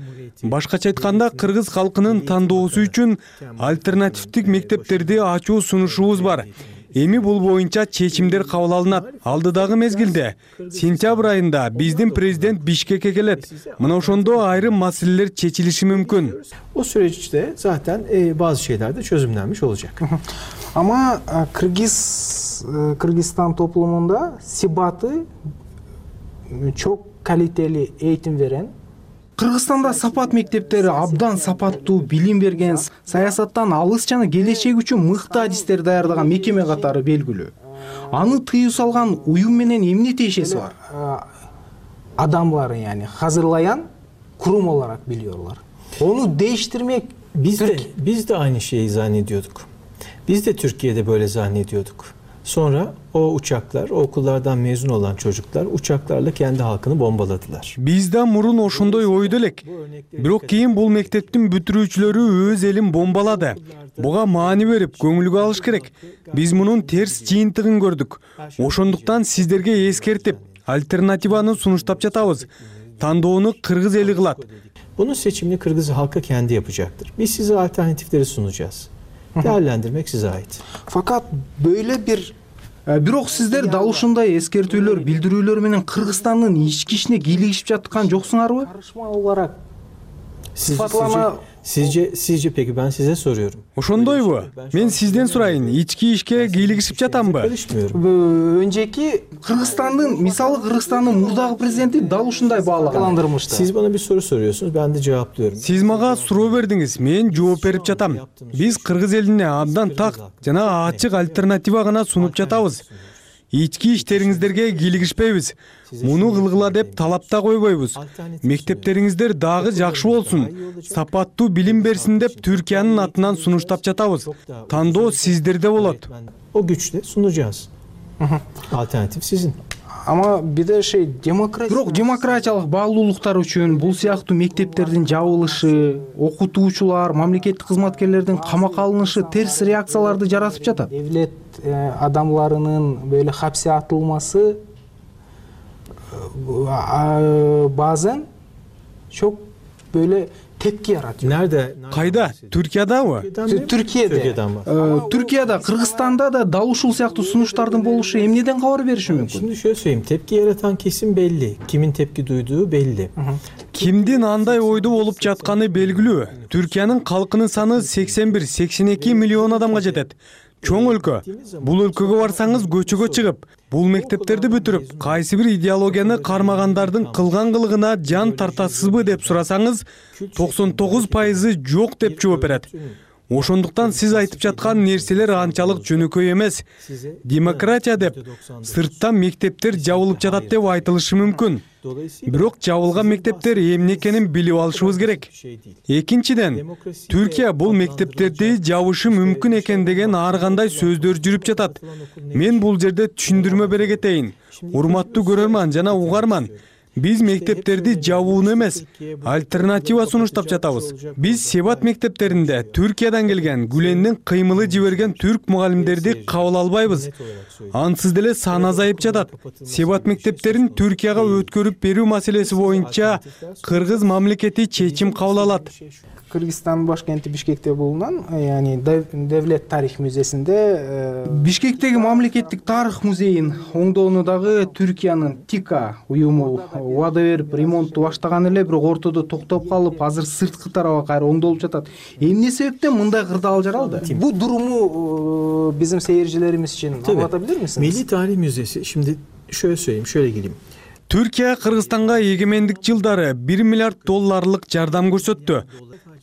[SPEAKER 13] Башкача айтканда, кыргыз халкынын тандоосу үчүн альтернативдик мектептерди ачуу сунушубуз бар. Эми бул боюнча чечимдер кабыл алынат. Алдыдагы мезгилде, сентябрь айында биздин президент Бишкекке келет. Мына ошондо айрым маселелер чечилиши мүмкүн.
[SPEAKER 14] O süreçte zaten bazı şeyler de çözümlenmiş olacak.
[SPEAKER 23] Ama Kırgızistan toplumunda Sebat'ı çok kaliteli eğitim veren,
[SPEAKER 17] Кыргызстанда Сапат мектептери абдан сапаттуу билим берген, саясаттан алыс жана келечек үчүн мыкты адистер даярдаган мекеме катары белгилүү. Аны тыюу салган уюм менен эмне тиешеси бар?
[SPEAKER 23] Adamları yani hazırlayan kurum olarak biliyorlar. Onu değiştirmek
[SPEAKER 14] biz de aynı şeyi zannediyorduk. Biz de Türkiye'de böyle zannediyorduk. Sonra o uçaklar, o okullardan mezun olan çocuklar uçaklarla kendi halkını bombaladılar.
[SPEAKER 13] Биз да мурун ошондой ойдо элек. Бирок кийин бул мектептин бүтүрүүчүлөрү өз элин бомбалады. Буга маани берип, көңүлгө алыш керек. Биз мунун терс жыйынтыгын көрдүк. Ошондуктан сиздерге эскертип, альтернативаны сунуштап жатабыз. Тандоону кыргыз эли кылат.
[SPEAKER 14] Bunun seçimini Kırgız halkı kendi yapacaktır. Biz size alternatifleri sunacağız. Değerlendirmek size ait.
[SPEAKER 17] Fakat böyle bir бирок сиздер дал ушундай эскертүүлөр, билдирүүлөр менен Кыргызстандын ички ишине кийлигишип жаткан жоксуңарбы?
[SPEAKER 23] Karışma olarak
[SPEAKER 14] Sizce peki ben size soruyorum.
[SPEAKER 13] Ошондойбу? Мен сизден сурайын, ички ишке кийлигишип жатамбы?
[SPEAKER 23] Önceki
[SPEAKER 17] Kırgızstandın, misалы Kırgızstandın murdагы президенти дал ушундай баалагандырмышты.
[SPEAKER 14] Siz bana bir soru soruyorsunuz, ben de cevaplıyorum.
[SPEAKER 13] Сиз мага суроо бердиңиз, мен жооп берип жатам. Биз кыргыз элине абдан так жана ачык альтернатива гана сунуп жатабыз. Ички иштериңиздерге кийлигишпейбиз. Муну кылгыла деп талапта койбойбуз. Мектептериңиздер дагы жакшы болсун, сапаттуу билим берсин деп Түркиянын атынан сунуштап жатабыз. Тандоо сиздерде болот.
[SPEAKER 14] O güçle sunacağız. Alternatif sizin.
[SPEAKER 23] Ama bir de
[SPEAKER 17] Бирок демократиялык баалуулуктар үчүн бул сыяктуу мектептердин жабылышы, окутуучулар, мамлекеттик кызматкерлердин камакка алынышы терс реакцияларды жаратып жатат.
[SPEAKER 23] Devlet adamlarının böyle hapse atılması bazen çok böyle tepki yaratıyor.
[SPEAKER 14] Nerede?
[SPEAKER 13] Kayda? Türkiye'dabı?
[SPEAKER 17] Türkiye'de, Kırgızstan'da da dal ушул сыяктуу сунуштардын болушу эмнеден кабар бериши мүмкүн?
[SPEAKER 14] Şimdi şöyle söyleyeyim, tepki yaratan kesim belli. Kimin tepki duyduğu belli.
[SPEAKER 13] Кимдин андай ойдо болуп жатканы белгилүү. Түркиянын калкынын саны 81-82 миллион адамга жетет. Чоң өлкө. Бул өлкөгө барсаңыз көчөгө чыгып, бул мектептерди бүтүрүп, кайсы бир идеологияны кармагандардын кылган кылыгына жан тартасызбы деп сурасаңыз, 99% жок деп жооп берет. Ошондуктан сиз айтып жаткан нерселер анчалык жөнөкөй эмес. Демократия деп сырттан мектептер жабылып жатат деп айтылышы мүмкүн. Бирок жабылган мектептер эмне экенин билип алышыбыз керек. Экинчиден, Түркия бул мектептерди жабышы мүмкүн экен деген ар кандай сөздөр жүрүп жатат. Мен бул жерде түшүндүрмө бере кетейин. Урматтуу көрөрман жана угарман. Биз мектептерди жабууну эмес, альтернатива сунуштап жатабыз. Биз Себат мектептеринде Түркиядан келген, Гүлендин кыймылы жиберген түрк мугалимдерди кабыл албайбыз. Ансыз деле саны азайып жатат. Себат мектептерин Түркияга өткөрүп берүү маселеси боюнча кыргыз мамлекети чечим кабыл алат.
[SPEAKER 11] Кыргызстан башкенти Бишкекте булунан, яни Devlet тарих музейсинде
[SPEAKER 17] Бишкектеги мамлекеттик тарых музейин оңдоонудагы Түркиянын ТИКА уюму убада берип ремонтту баштаган эле, бирок ортодо токтоп калып, азыр сырткы тарабы кайра оңдолуп жатат. Эмне себептен мындай кырдаал жаралды?
[SPEAKER 11] Бу durumу bizim seyircilerimiz için anlatabilir misiniz?
[SPEAKER 14] Milli Tarih Müzesi, şimdi şöyle söyleyeyim, şöyle geleyim.
[SPEAKER 13] Түркия Кыргызстанга эгемендик жылдары $1 миллиард жардам көрсөттү.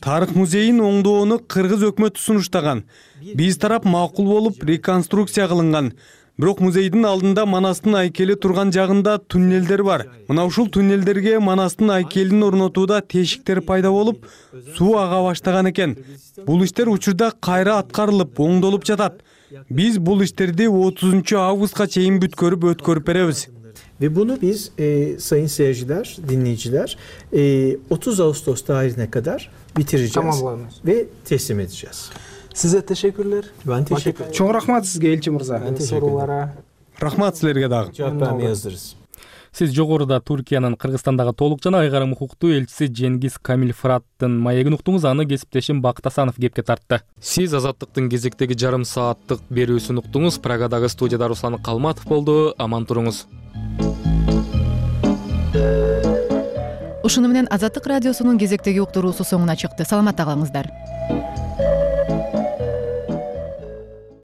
[SPEAKER 13] Тарых музейин оңдоону кыргыз өкмөтү сунуштаган. Биз тарап макул болуп реконструкция кылынган. Бирок музейдин алдында Манастын айкели турган жагында туннелдер бар. Мына ушул туннелдерге Манастын айкелин орнотууда тешиктер пайда болуп, суу ага баштаган экен. Бул иштер учурда кайра аткарылып, оңдолуп жатат. Биз бул иштерди 30 августка чейин өткөрүп беребиз.
[SPEAKER 14] Ve bunu biz sayın seyirciler, dinleyiciler 30 Ağustos tarihine kadar bitireceğiz ve teslim edeceğiz.
[SPEAKER 11] Size teşekkürler.
[SPEAKER 14] Ben teşekkür ederim.
[SPEAKER 17] Чоң рахмат сизге, Элчи мырза.
[SPEAKER 14] Ben teşekkür ederim.
[SPEAKER 13] Рахмат силерге дагы.
[SPEAKER 14] Cevap vermeye hazırız.
[SPEAKER 1] Сиз жогоруда Түркиянын Кыргызстандагы толук жана айгарым укуктуу элчиси Жеңгиз Камил Фыраттын маегин уктуңуз, аны кесиптешим Бакыт Асанов кепке тартты. Сиз Азаттыктын кезектеги жарым сааттык берүүсүн уктуңуз. Прагадагы студияда Руслан Калматов болду. Аман туруңуз.
[SPEAKER 15] Ушуну менен Азаттык радиосунун кезектеги уктуруусу соңуна чыкты. Саламатта калыңыздар.